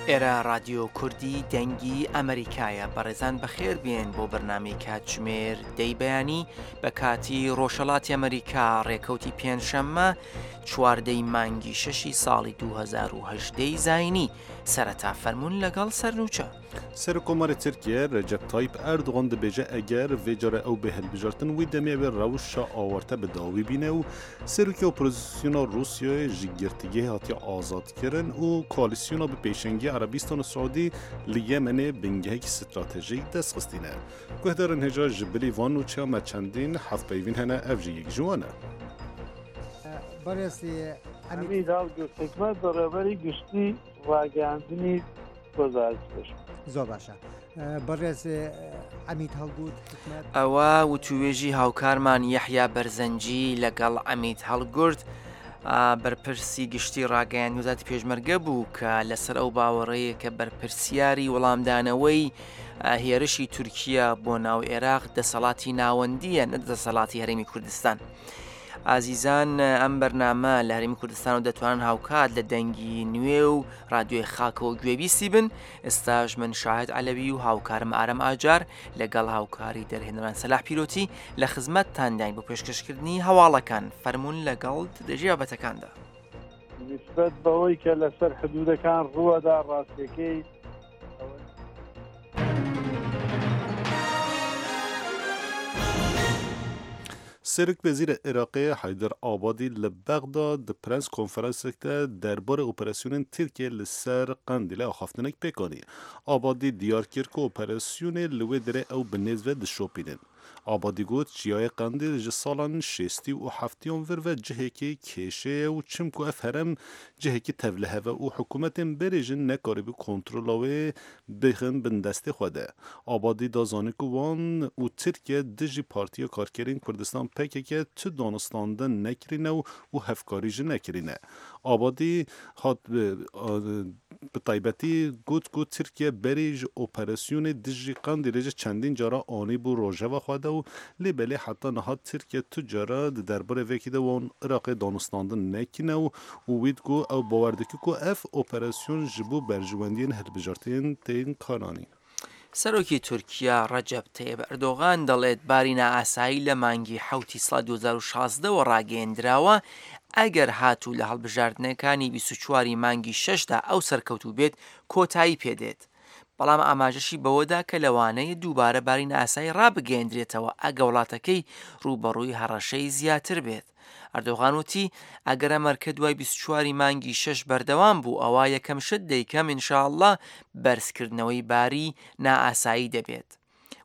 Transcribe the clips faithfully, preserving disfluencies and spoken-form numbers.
ئێرە ڕادیۆ کوردی دەنگی ئەمریکایە. بەڕێزان بەخێر بێن بۆ بەرنامەی کاتژمێر دەی بەیانی بە کاتی ڕۆژهەڵاتی ئەمریکا، ڕێکەوتی پێنجشەممە چواردەی مانگی شەشی ساڵی دوو هەزار و هەژدە ی زاینی. سەرەتا فەرمونون لەگەڵ سەرنوچە. سەرۆککۆماری تورکیە رەجەب تایب ئەردۆغان دەبێژە ئەگەر ڤێ جارە ئەو بێ هەلبژارتن وی دەمێ ئەوێ ڕەوشا ئاوارتە بە داوی بینە و سەرۆکی ئۆپۆزیسیۆنا ڕووسیای ژ گرتگەهێ هاتیە ئازادکردن و کۆالیسیۆنا بە پێشەنگی عەرەبیستان و سعودی لە یەمەنێ بنگەهێکی ستراتژیک دەست خستینە. گوهدارن هێژا ji bilî van nûçeya me çendîn hevpeyvîn hene ev jî yek ji wan e. عەمید هەڵگورد حیکمەت بەڕێوەبەری گشتی ڕاگەیاندنی وەزارەتی پێشمەرگە. زۆر باشە بەڕێز عەمید هەڵگورد حیکمەت. ئەوە وتوێژی هاوکارمان یەحیا بەرزەنجی لەگەڵ عەمید هەڵگورد بەرپرسی گشتی ڕاگەیاندنی وەزارەتی پێشمەرگە بوو کە لەسەر ئەو باوەڕەیە کە بەرپرسیاری وەڵامدانەوەی هێرشی تورکیا بۆ ناو عێراق دەسەڵاتی ناوەندیە نە دەسەڵاتی هەرێمی کوردستان. ئازیزان ئەم بەرنامە لە هەرێمی کوردستان و دەتوانن هاوکات لە دەنگی نوێ و رادیۆی خاکەوە گوێبیستی بن. ئێستاش من شاهد عەلەوی و هاوکارم ئارەم ئاجار لەگەڵ هاوکاری دەرهێنەران سەلاح پیرۆتی لە خزمەتتانداین بۆ پێشکەشکردنی هەواڵەکان. فەرمونون لەگەڵ درێژی بابەتەکاندا. نسبەت بەوەی کە لەسەر حدودەکان ڕووەدا ڕاستیەکەی سەرۆک وەزیر عێراقی حەیدەر ئابادی لە بەغدا di press konferansek de derbarê operasyonên Tirkiye li ser Qendîlê axaftinek pêk anî. Abadî diyar kir ku operasyonê li wê derê ew bi nêz ve dişopînin. Abadî got çiyayê Qendîl ji salan şêstî û heftiyan vir ve cihekî kêşê ye û çimku ev herem cihekî tevliheve û hikûmetên berê jî nekarîbû kontrola wê bixin bin destê xwe de. Abadî da zanîn ku wan û Tirkiye dijî Partiya Karkerên Kurdistan P K K tu danûstandin nekirîne û û hevkarî jî nekirîne. Abadî hat bi taybetî got ku Tirkiye berê ji operasyonê dijî Qendîlê ji çendîn cara anîbû rojeva xwe de û lê belê heta niha Tirkiye tu cara di derbarê vekî de wan Iraqê danûstandin nekîne û û wî got ew bawer dike ku ev operasyon ji bo berjewendiyên hilbijartinên tên karanîn. سەرۆکی تورکیا ڕەجەب تەیب ئەردۆغان دەڵێت باری نائاسایی لە مانگی حەوتی ساڵ دوو هەزار و شازدەوە ڕاگەیەندراوە ئەگەر هاتوو لە هەڵبژاردنەکانی بیست و چواری مانگی شەشدا ئەو سەرکەوتوو بێت کۆتایی پێدێت. بەڵام ئاماژەشی بەوەدا کە لەوانەیە دووبارە باری نائاسایی ڕابگەیەندرێتەوە ئەگە وڵاتەکەی ڕووبەڕووی هەڕەشەی زیاتر بێت. ئەردۆغان وتی ئەگەر ئەمەرکە دوای بیست و چواری مانگی شەش بەردەوام بوو ئەوە یەکەم شت دەیکەم ئینشاءڵڵا بەرزکردنەوەی باری نائاسایی دەبێت.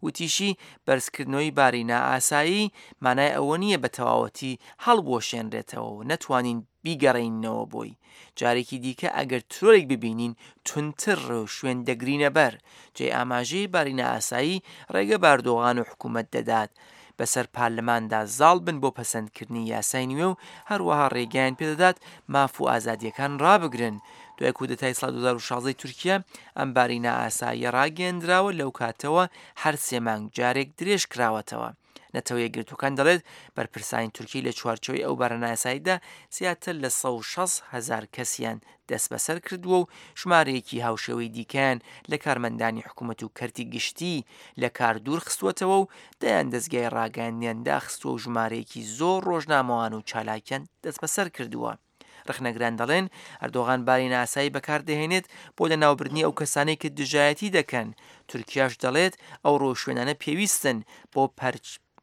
وتیشی بەرزکردنەوەی باری نائاسایی مانای ئەوە نییە بە تەواوەتی هەڵبوەشێنرێتەوە و نەتوانین بیگەڕێنینەوە بۆی. جارێکی دیکە ئەگەر ترۆرێک ببینین توندتر ڕێوشوێن دەگرینە بەر. جێی ئاماژەی باری نائاسایی ڕێگە بە ئەردۆغان و حکوومەت دەدات بەسەر پارلەماندا زاڵ بن بۆ پەسەندکردنی یاسای نوێ و هەروەها ڕێگەیان پێدەدات ماف و ئازادیەکان ڕابگرن. دوای کودەتای ساڵ دوو هەزار و شازدە تورکیا ئەم باری نائاساییە ڕاگەیەندراوە لەو کاتەوە هەر سێ مانگ جارێک درێژ کراوەتەوە. نەتەوە یەکگرتووەکان دەڵێت بەرپرسانی تورکی لە چوارچێوەی ئەو بارە نائاساییدا زیاتر لە سەد و شەست هەزار کەسیان دەستبەسەر کردووە و ژمارەیەکی هاوشێوەی دیکەیان لە کارمەندانی حکوومەت و کەرتی گشتی لە کار دوور خستووەتەوە و دەیان دەستگای ڕاگەیاندنیان داخستووە و ژمارەیەکی زۆر ڕۆژنامەوان و چالاکیان دەستبەسەر کردووە. ڕەخنەگران دەڵێن ئەردۆغان باری نائاسایی بەکاردەهێنێت بۆ لەناوبردنی ئەو کەسانەی کە دژایەتی دەکەن. تورکیاش دەڵێت ئەو ڕۆشوێنانە پێویستن بۆ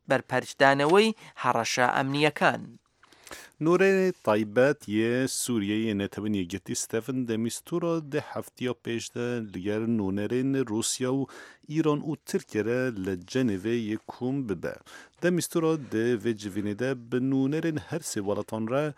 بەرپەرچدانەوەی هەڕەشە ئەمنیەکان. نوورێ تایبەت یê Sûriyeyê Netewên Yekgirtî Stephen de Mistura di heftiya pêş de li nûnerên Rûsya û Îran û Tirkiye re li Cenevê yê kom bibe. De Mistura di vê civînê de bi nûnerên her sê welatan re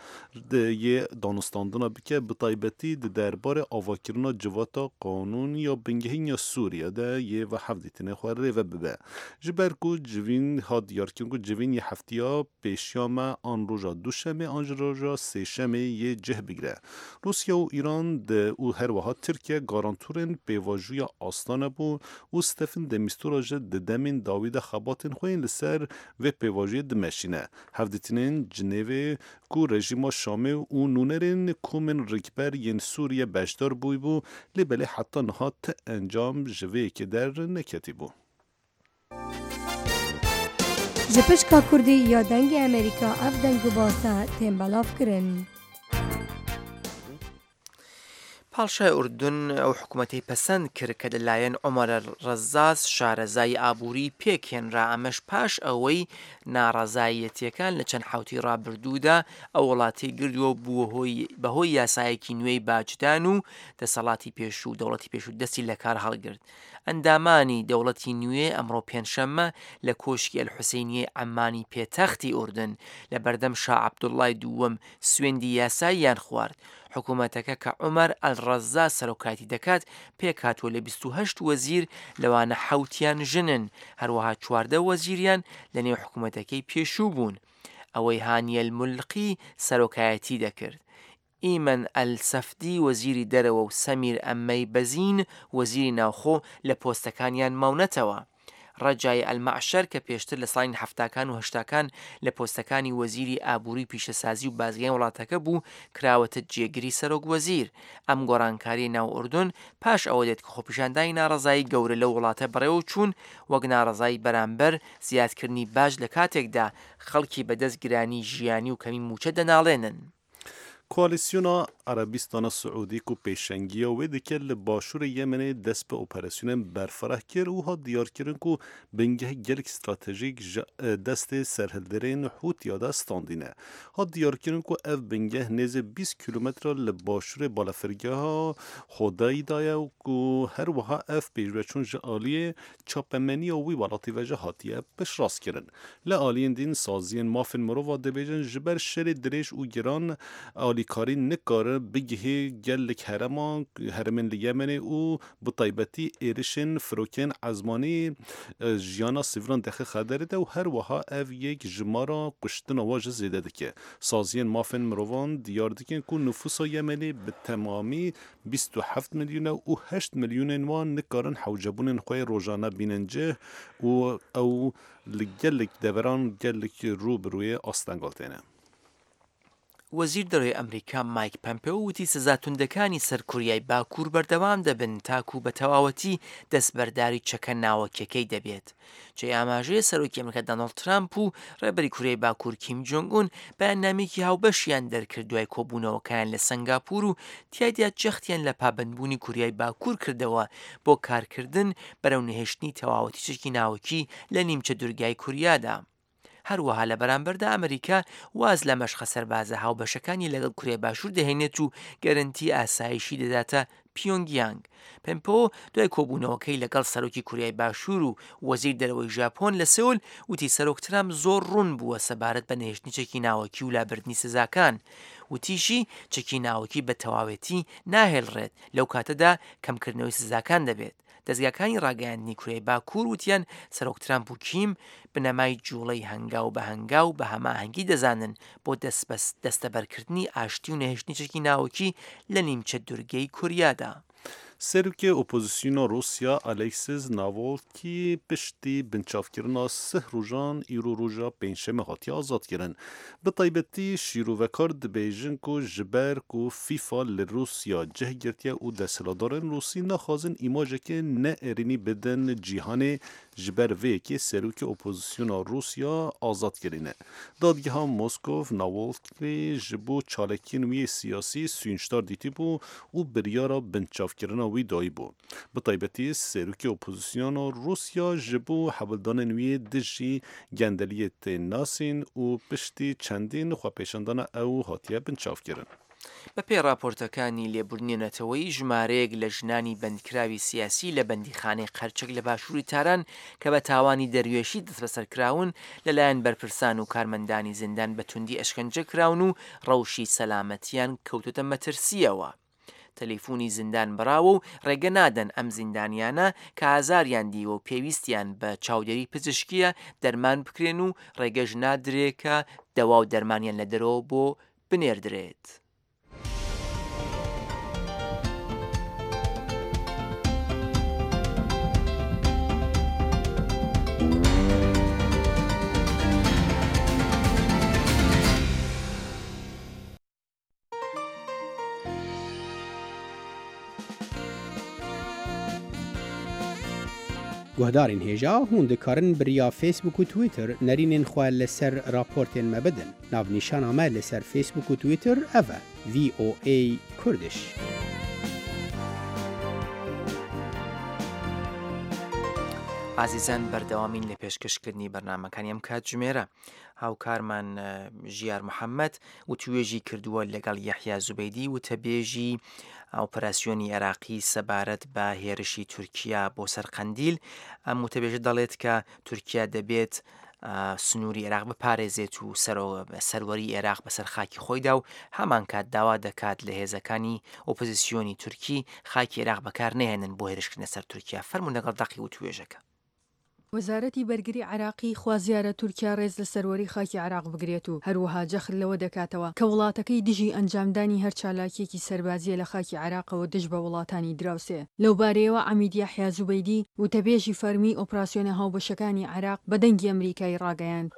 yê danûstandina bike bi taybetî di derbarê avakirina civata qanûn ya bingehîn ya Sûriye de yê ve hevdîtinê xwe rêve bibe. Ji ber ku civîn hat diyarkirin ku civîn yê heftiya pêşiya me an roja duşemê an ji roja sêşemê yê cih bigire. Rûsya û Îran û her wiha Tirkiye garantorên pêvajoya Astana bû û Stephen de Mistura ji di demên dawî de xebatên xwe yên li ser Vê pêvajoyê dimeşîne. Hevdîtinên Cinêvê ku rejîma Şamê û nûnerên komên rikber yên Sûriye beşdar bûybû lê belê heta niha ti encam ji vê yekê derneketîbû. Ji pişka Kurdî ya Dengê Amerîka ev deng û basa tên belav kirin. پاڵشای ئوردن ئەو حکوومەتەی پەسەند کرد کە لەلایەن عومەر ڕەزاز شارەزای ئابووری پێکهێنرا، ئەمەش پاش ئەوەی ناڕەزایەتیەکان لە چەند حوتی ڕابردوودا ئەو وڵاتی گردووە بووە هۆی بەهۆی یاسایەکی نوێی باجدان و دەسەڵاتی پێشوو دەوڵەتی پێشوو دەستی لە کار هەڵگرت. ئەندامانی دەوڵەتی نوێ ئەمڕۆ پێنجشەممە لە کۆشکی ئەلحوسەینیەی عەممانی پێتەختی ئوردن لە بەردەم شا عەبدوڵڵای دووەم سوێندی یاساییان خوارد. حکوومەتەکە کە عومەر ئەلڕەزاز سەرۆکایەتی دەکات پێکهاتووە لە بیست و هەشت وەزیر، لەوانە حەوتیان ژنن، هەروەها چواردە وەزیریان لەنێو حکوومەتەکەی پێشوو بوون. ئەوەی هانیەل مولقی سەرۆکایەتی دەکرد. ئیمەن ئەلسەفدی وەزیری دەرەوە و سەمیر ئەمەی بەزین وەزیری ناوخۆ لە پۆستەکانیان ماونەتەوە. ڕەجای ئەلمەعشەر کە پێشتر لە ساڵی هەفتاکان و هەشتاکان لە پۆستەکانی وەزیری ئابووری پیشەسازی و بازرگانی وڵاتەکە بوو، کراوەتە جێگری سەرۆک وەزیر. ئەم گۆڕانکاری ناو ئوردن پاش ئەوە دێت کە خۆپیشاندانی ناڕەزایی گەورە لەو وڵاتە بەڕێوە چوون وەک ناڕەزایی بەرامبەر زیادکردنی باج لە کاتێکدا خەڵکی بەدەست گرانی ژیانی و کەمی موچە دەناڵێنن. Koalisyona Erebistana Siûdî ku pêşengiya wê dike li başûrê Yemenê dest bi operasyonên berfireh kir û hat diyarkirin ku bingeh gelek stratejîk ji destê serhilderên Hûtiya de standîne. Hat diyarkirin ku ev bingeh nêzî bîst kîlometre li başûrê balafirgeha Hodeyda ye û ku her wiha ev pêşveçûn ji aliyê çapemeniya wî welatî ve jî hatiye piştrastkirin. Li aliyên din saziyên mafên mirova dibêjin ji ber şerê dirêj û giran alîkarî nikare bigihê gelek hereman herêmên li Yemenê û bi taybetî êrişên firokên ezmanî jiyana sivîlan dixe xeterê de û her wiha ev yek jimara kuştina wan jî zêde dike. Saziyên mafên mirovan diyar dikin ku nüfusa Yemenê bi temamî bîst û heft milyon e û heşt milyonên wan nikarin hewcebûnên xwe yê rojane bînin cih û ew li gelek deveran gelek rû bi rûyê astengal têne. وەزیر دەرەوەی ئەمریکا مایک پەمپێۆ وتی سزا توندەکانی سەر کوریای باکوور بەردەوام دەبن تاکو بە تەواوەتی دەستبەرداری چەکە ناوەکیەکەی دەبێت. جێی ئاماژەیە سەرۆکی ئەمریکا دانۆڵد ترامپ و ڕێبەری کوریای باکوور کیم جۆنگ ئون بەیاننامەیەکی هاوبەشیان دەرکرد دوای کۆبوونەوەکەیان لە سنگاپور و تیایدا جەختیان لە پابەندبوونی کوریای باکوور کردەوە بۆ کارکردن بەرەو نەهێشتنی تەواوەتی چەکی ناوەکی لە نیمچە دوورگای کوریادا. هەروەها لە بەرامبەردا ئەمریکا واز لە مەشقە سەربازە هاوبەشەکانی لەگەڵ کوریای باشوور دەهێنێت و گەرەنتی ئاسایشی دەداتە پیۆنگیانگ. پەمپۆ دوای کۆبوونەوەکەی لەگەڵ سەرۆکی کوریای باشوور و وەزیر دەرەوەی ژاپۆن لە سئول وتی سەرۆک ترامپ زۆر ڕوون بووە سەبارەت بە نەهێشتنی چەکی ناوەکی و لابردنی سزاکان. وتیشی چەکی ناوەکی بە تەواوێتی ناهێڵڕێت لەو کاتەدا کەمکردنەوەی سزاکان دەبێت. دەستگاکانی ڕاگەیاندنی کوریای باکوور وتیان سەرۆک ترامپ و کیم بنەمای جوڵەی هەنگاو بە هەنگاو بە هەماهەنگی دەزانن بۆ دەستەبەرکردنی ئاشتی و نەهێشتنی چەکی ناوەکی لە نیمچە دوورگەی کوریادا. Serokê Opozisyona Rûsya Alexis Navalny piştî binçavkirina sih rojan îro roja pêncşemê hatiye azadkirin. Bi taybetî şîrovekar dibêjin ku ji ber ku FIFA li Rûsya cih girtiye û desthilatdarên Rûsî naxwazin îmajeke neerênî bidin cîhanê ji ber vê yekê serokê Opozisyona Rûsya azad kirine. Dadgeha Moskov Navalny ji bo çalakiyên wî yê siyasî sûnçdar dîtibû û biryara binçavkirina wî dayî bû. Bi taybetî serokê Opozisyona Rûsya ji bo hewldanên wî yê dijî gendeliyê tê nasîn û piştî çendîn xwepêşandana ew hatiye binçavkirin. بەپێی راپۆرتەکانی لێبوردنی نەتەوەیی ژمارەیەک لە ژنانی بەندکراوی سیاسی لە بەندیخانەی قەرچەک لە باشووری تاران کە بە تاوانی دەروێشی دەستبەسەرکراون لەلایەن بەرپرسان و کارمەندانی زیندان بە توندی ئەشکەنجە کراون و ڕەوشی سەلامەتیان کەوتۆتە مەترسیەوە. تەلەفۆنی زیندان بڕاوە و ڕێگە نادەن ئەم زیندانیانە کە ئازاریان دیوە و پێویستیان بە چاودێری پزیشکیە دەرمان بکرێن و ڕێگەش نادرێ کە دەوا و دەرمانیان لە دەرەوە بۆ بنێردرێت. Guhdarên hêja hûn dikarin bi riya Facebook û Twitter nerînên xwe li ser raportên me bidin. Navnîşana me li ser Facebook û Twitter ev e: V O A Kurdish. ئازیزان بەردەوامین لە پێشکەشکردنی بەرنامەکانی ئەم کاتژمێرە. هاوکارمان ژیار محەممەد وتوێژی کردووە لەگەڵ یەحیا زوبەیدی وتەبێژی ئۆپەراسیۆنی عێراقی سەبارەت بە هێرشی تورکیا بۆ سەر قەندیل. ئەم وتەبێژە دەڵێت کە تورکیا دەبێت سنووری عێراق بپارێزێت و سەروەری عێراق بەسەر خاکی خۆیدا و هەمان کات داوا دەکات لە هێزەکانی ئۆپۆزیسیۆنی تورکی خاکی عێراق بەکار نەهێنن بۆ هێرشکردنە سەر تورکیا. فەرموون لەگەڵ دەقی وتوێژەکە. وەزارەتی بەرگری عێراقی خوازیارە تورکیا ڕێز لە سەروەری خاکی عێراق بگرێت و هەروەها جەخت لەوە دەکاتەوە کە وڵاتەکەی دژی ئەنجامدانی هەر چالاکیەکی سەربازیە لە خاکی عێراقەوە دژ بە وڵاتانی دراوسێ. لەو بارەیەوە عەمید یەحیا زوبەیدی وتەبێژی فەرمی ئۆپراسیۆنە هاوبەشەکانی عێراق بە دەنگی ئەمریکای ڕاگەیاند.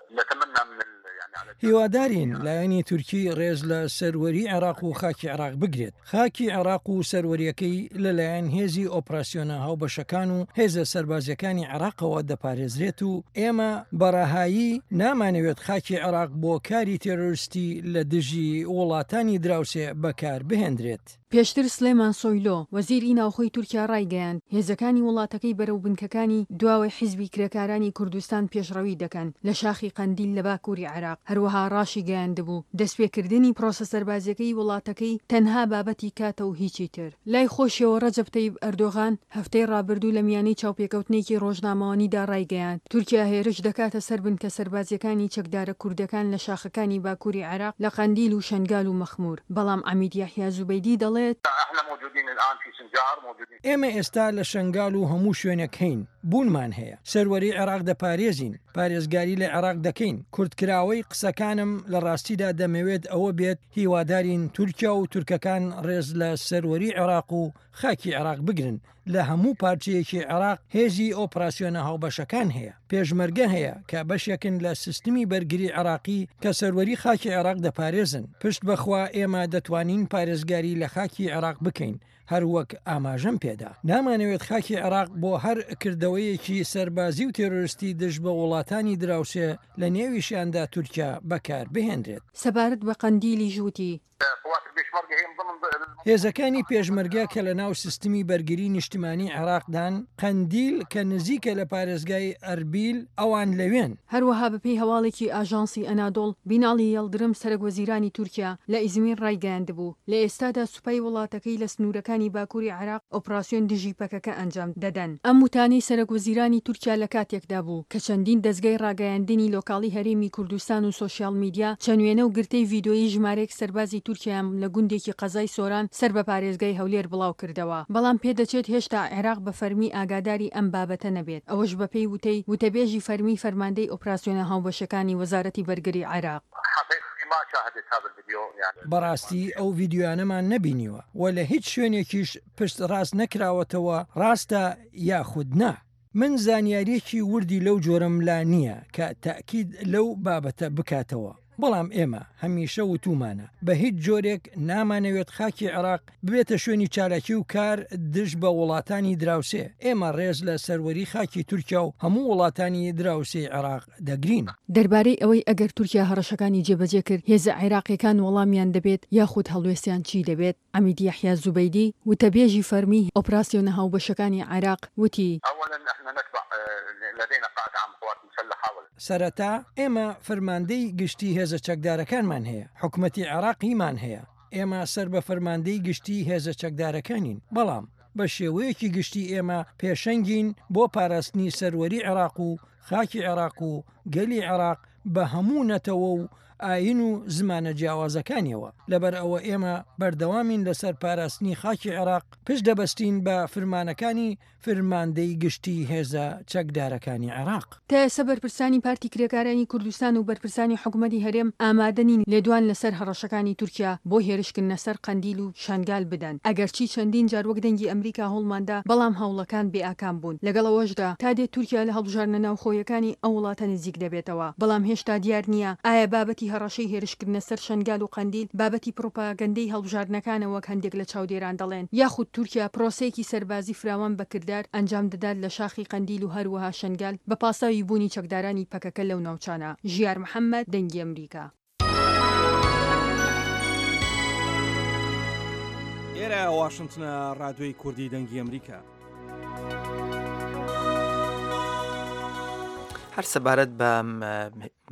هیوادارین لایەنی تورکی ڕێز لە سەروەری عێراق و خاکی عێراق بگرێت. خاکی عێراق و سەروەریەکەی لەلایەن هێزی ئۆپراسیۆنە هاوبەشەکان و هێزە سەربازیەکانی عێراقەوە دەپارێزرێت و ئێمە بەڕەهایی نامانەوێت خاکی عێراق بۆ کاری تێرۆریستی لە دژی وڵاتانی دراوسێ بەکار بهێندرێت. پێشتر سلێمان سۆیلۆ وەزیری ناوخۆی تورکیا ڕایگەیاند هێزەکانی وڵاتەکەی بەرەو بنکەکانی دواوەی حیزبی کرێکارانی کوردستان پێشڕەوی دەکەن لە شاخی قەندیل لە باکووری عێراق. هەروەها ڕاشی گەیاندبوو دەستپێکردنی پرۆسە سەربازیەکەی وڵاتەکەی تەنها بابەتی کاتە و هیچی تر. لای خۆشیەوە ڕەجەب تەیب ئەردۆغان هەفتەی ڕابردوو لە میانەی چاوپێکەوتنێکی ڕۆژنامەوانیدا ڕایگەیاند تورکیا هێرش دەکاتە سەر بنکە سەربازیەکانی چەکدارە کوردەکان لە شاخەکانی باکووری عێراق لە قەندیل و شەنگال و مەخموور. بەڵام عەمید یەحیا زوبەیدی دەڵێت ئێمە ئێستا لە شەنگال و هەموو شوێنێک هەین، بوونمان هەیە، سەروەری عێراق دەپارێزین، پارێزگاری لە عێراق دەکەین. کورتکراوەی قسەکانم لە ڕاستیدا دەمەوێت ئەوە بێت هیوادارین تورکیا و تورکەکان ڕێز لە سەروەری عێراق و خاکی عێراق بگرن. لە هەموو پارچەیەکی عێراق هێزی ئۆپراسیۆنە هاوبەشەکان هەیە، پێشمەرگە هەیە کە بەشێکن لە سیستمی بەرگری عێراقی کە سەروەری خاکی عێراق دەپارێزن. پشت بەخوا ئێمە دەتوانین پارێزگاری لە خاکی عێراق بکەین، هەروەک ئاماژەم پێدا. نامانەوێت خاکی عێراق بۆ هەر کردەوەیەکی سەربازی و تێرۆریستی دژ بە وڵاتانی دراوسێ لە نێویشیاندا تورکیا بەکار بهێنرێت. سەبارەت بە قەندیلی ژووتی هێزەکانی پێشمەرگە کە لە ناو سیستمی بەرگری نیشتمانی عێراقدان، قەندیل کە نزیکە لە پارێزگای ئەربیل، ئەوان لەوێن. هەروەها بەپێی هەواڵێکی ئاژانسی ئەنادۆڵ، بیناڵی یەڵدرم سەرەک وەزیرانی تورکیا لە ئیزمیر ڕایگەیاندبوو لە ئێستادا سوپای وڵاتەکەی لە سنوورەکانی باکووری عێراق ئۆپراسیۆن دژی پەکەکە ئەنجام دەدەن. ئەم وتانەی سەرەک وەزیرانی تورکیا لە کاتێکدا بوو کە چەندین دەزگای ڕاگەیاندنی لۆکاڵی هەرێمی کوردستان و سۆشیال میدیا چەند وێنە و گرتەی ڤیدۆیی ژمارەیەک سەربازی تورکیایان لە گوندێکی قەزای سۆران سەر بە پارێزگای هەولێر بڵاو کردەوە. بەڵام پێدەچێت هێشتا عێراق بە فەرمی ئاگاداری ئەم بابەتە نەبێت. ئەوەش بەپێی وتەی وتەبێژی فەرمی فەرماندەی ئۆپراسیۆنە هاوبەشەکانی وەزارەتی بەرگری عێراق. بەڕاستی ئەو ڤیدیۆیانەمان نەبینیوە و لە هیچ شوێنێکیش پشت ڕاست نەکراوەتەوە ڕاستە یاخود نا. من زانیاریەکی وردی لەو جۆرەم لا نییە کە تاکید لەو بابەتە بکاتەوە، بەڵام ئێمە هەمیشە وتومانە بە هیچ جۆرێک نامانەوێت خاکی عێراق ببێتە شوێنی چالاکی و کار دژ بە وڵاتانی دراوسێ. ئێمە ڕێز لە سەروەری خاکی تورکیا و هەموو وڵاتانی دراوسێی عێراق دەگرین. دەربارەی ئەوەی ئەگەر تورکیا هەڕەشەکانی جێبەجێ کرد هێزە عێراقیەکان وەڵامیان دەبێت یاخود هەڵوێستیان چی دەبێت، عەمید یەحیا زوبەیدی وتەبێژی فەرمی ئۆپراسیۆنە هاوبەشەکانی عێراق وتی: سەرەتا ئێمە فەرماندەی گشتی هێزە چەکدارەکانمان هەیە، حکومەتی عێراقیمان هەیە، ئێمە سەر بە فەرماندەی گشتی هێزە چەکدارەکانین، بەڵام بە شێوەیەکی گشتی ئێمە پێشەنگین بۆ پاراستنی سەروەری عێراق و خاکی عێراق و گەلی عێراق بە هەموو نەتەوە و ئاین و زمانە جیاوازەکانیەوە. لەبەر ئەوە ئێمە بەردەوامین لەسەر پاراستنی خاکی عێراق، پشت دەبەستین بە فرمانەکانی فرماندەی گشتی هێزە چەکدارەکانی عێراق. تا ئێستا بەرپرسانی پارتی کرێکارانی کوردستان و بەرپرسانی حکوومەتی هەرێم ئامادە نین لێدوان لەسەر هەڕەشەکانی تورکیا بۆ هێرشکردنە سەر قەندیل و شەنگال بدەن. ئەگەرچی چەندین جار وەک دەنگی ئەمریکا هەوڵماندا، بەڵام هەوڵەکان بێئاکام بوون. لەگەڵ ئەوەشدا تا دێت تورکیا لە هەڵبژاردنە ناوخۆیەکانی ئەو وڵاتە نزیک دەبێتەوە، بەڵام هێشتا دیار نییە ئایا بابەتی بابەتی هەڕەشەی هێرشکردنە سەر شەنگال و قەندیل بابەتی پڕوپاگەندەی هەڵبژاردنەکانە وەک هەندێک لە چاودێران دەڵێن یاخود تورکیا پرۆسەیەکی سەربازی فراوان بە کردار ئەنجام دەدات لە شاخی قەندیل و هەروەها شەنگال بە پاساوی بوونی چەکدارانی پەکەکە لەو ناوچانە. ژیار محەمەد، دەنگی ئەمریکا. ئێرە واشنتنە، ڕادیۆی کوردی دەنگی ئەمریکا. هەر سەبارەت بە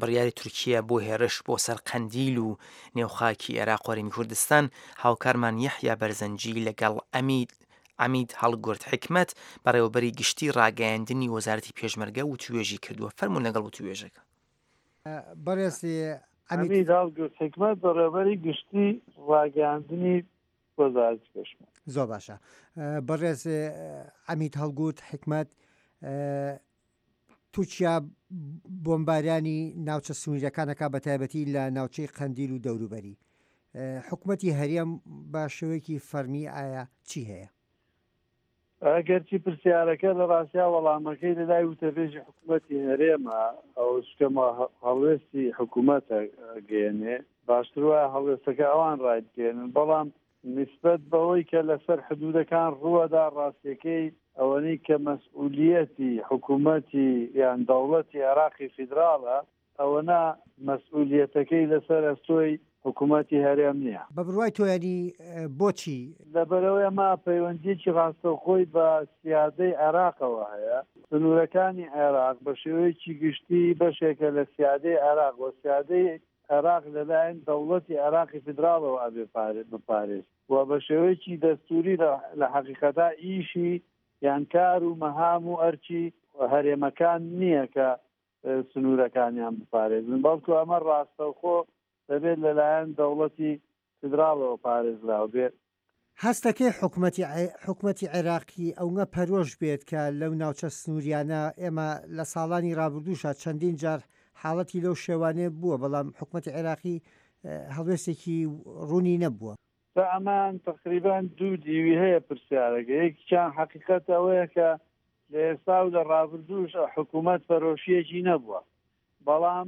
بڕیاری تورکیا بۆ هێرش بۆ سەر قەندیل و نێوخاکی عێراق و هەرێمی کوردستان، هاوکارمان یەحیا بەرزەنجی لەگەڵ ئەمید عەمید هەڵگورد حیکمەت، بەڕێوەبەری گشتی ڕاگەیاندنی وەزارەتی پێشمەرگە وتووێژی کردووە. فەرموون لەگەڵ وتووێژەکە. بەڕێز عەمید. عەمید هەڵگورد حیکمەت، بەڕێوەبەری گشتی ڕاگەیاندنی وەزارەتی پێشمەرگە. زۆر باشە. بەڕێز عەمید هەڵگورد حیکمەت، تورکیا بۆمبارانی ناوچە سنووریەکانەکە بە تایبەتی لە ناوچەی قەندیل و دەوروبەری، حکوومەتی هەرێم بە شێوەیەکی فەرمی ئایا چی هەیە؟ ئەگەرچی پرسیارەکە لە ڕاستیا وەڵامەکەی لە لای وتەبێژی حکوومەتی هەرێمە، ئەو شکەمە هەڵوێستی حکوومەتە گەێنێ، باشتر وایە هەڵوێستەکە ئەوان ڕایبگەێنن. بەڵام نسبەت بەوەی کە لەسەر حدودەکان ڕووەدا، ڕاستیەکەی ئەوەنەی کە مەسئولیەتی حکوومەتی یان دەوڵەتی عێراقی فیدراڵە، ئەوەنا مەسئولیەتەکەی لەسەر ئەستۆی حکوومەتی هەرێم نییە. بە بڕوای تۆ یانی بۆچی؟ لەبەرەوەی ئەمە پەیوەندیەکی ڕاستەوخۆی بە سیادەی عێراقەوە هەیە. سنوورەکانی عێراق بە شێوەیەکی گشتی بەشێکە لە سیادەی عێراق و سیادەی عێراق لەلایەن دەوڵەتی عێراقی فیدراڵەوە ئەبێ بپارێز و بە شێوەیەکی دەستوری لە حەقیقەتا ئیشی یان کار و مەهام و ئەرکی هەرێمەکان نییە کە سنوورەکانیان بپارێزن، بەڵکو ئەمە ڕاستەوخۆ دەبێت لەلایەن دەوڵەتی فیدراڵەوە پارێزراو بێت. هەستەکەی حکومەتی حکومەتی عێراقی ئەونە پەرۆش بێت کە لەو ناوچە سنووریانە، ئێمە لە ساڵانی ڕابردووشا چەندین جار حاڵەتی لەو شێوانەیە بووە، بەڵام حکومەتی عێراقی هەڵوێستێکی ڕوونی نەبووە. تا ئەمان تقریبا دوو دیوی هەیە پرسیارەکە. یەکیان حەقیقەت ئەوەیە کە لە ئێستا و لە ڕابردووش حکوومەت پەرۆشیەکی نەبووە، بەڵام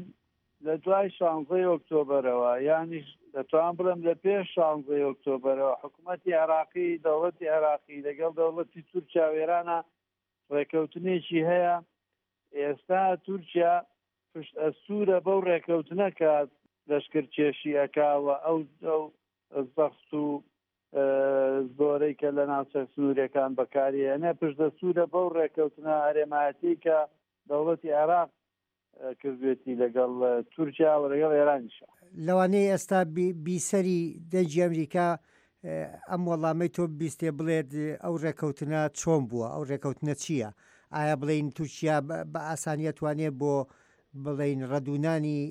لە دوای شانزەی ئۆکتۆبەرەوە، یانیش دەتوان بڵێم لە پێش شانزەی ئۆکتۆبەرەوە، حکوومەتی عێراقی، دەوڵەتی عێراقی لەگەڵ دەوڵەتی تورکیا و ئێرانە ڕێکەوتنێکی هەیە. ئێستا تورکیا پشت ئەستورە بەو ڕێکەوتنە کە لەشکرکێشی ئەکاوە ئەو ئەو زەخت و زۆرەی کە لە ناوچە سنووریەکان بەکاریێنێ، پشت دەستورە بەو ڕێکەوتنە هەرێمایەتی کە دەوڵەتی عێراق کردوێتی لەگەڵ تورکیا و لەگەڵ ئێرانیشە. لەوانەیە ئێستا بیسەری دەنگی ئەمریکا ئەم وەڵامەی تۆ بیستێ بڵێت ئەو ڕێکەوتنە چۆن بووە، ئەو ڕێکەوتنە چییە؟ ئایا بڵین تورکیا بە ئاسانیە توانێت بۆ بڵین ڕەدونانی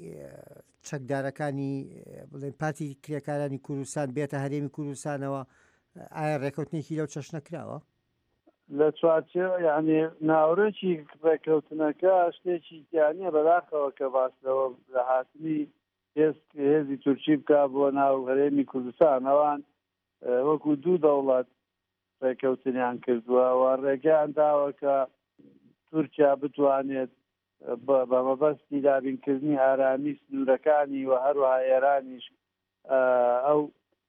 چەکدارەکانی بڵێن پارتی کرێکارانی کوردستان بێتە هەرێمی کوردستانەوە؟ ئایا ڕێکەوتنێکی لەو چەشنە کراوە؟ لە چوارچێوە یعنی ناوەڕۆکی ڕێکەوتنەکە شتێکی تیانیە بەداخەوە کە باس لەوە لە هاتنی هێزی تورکی بکا بۆ ناو هەرێمی کوردستان. ئەوان وەکو دوو دەوڵەت ڕێکەوتنیان کردووە و ڕێگەیان داوە کە تورکیا بتوانێت بە مەبەستی دابینکردنی ئارامی سنوورەکانی و هەروەها ئێرانیش ئەو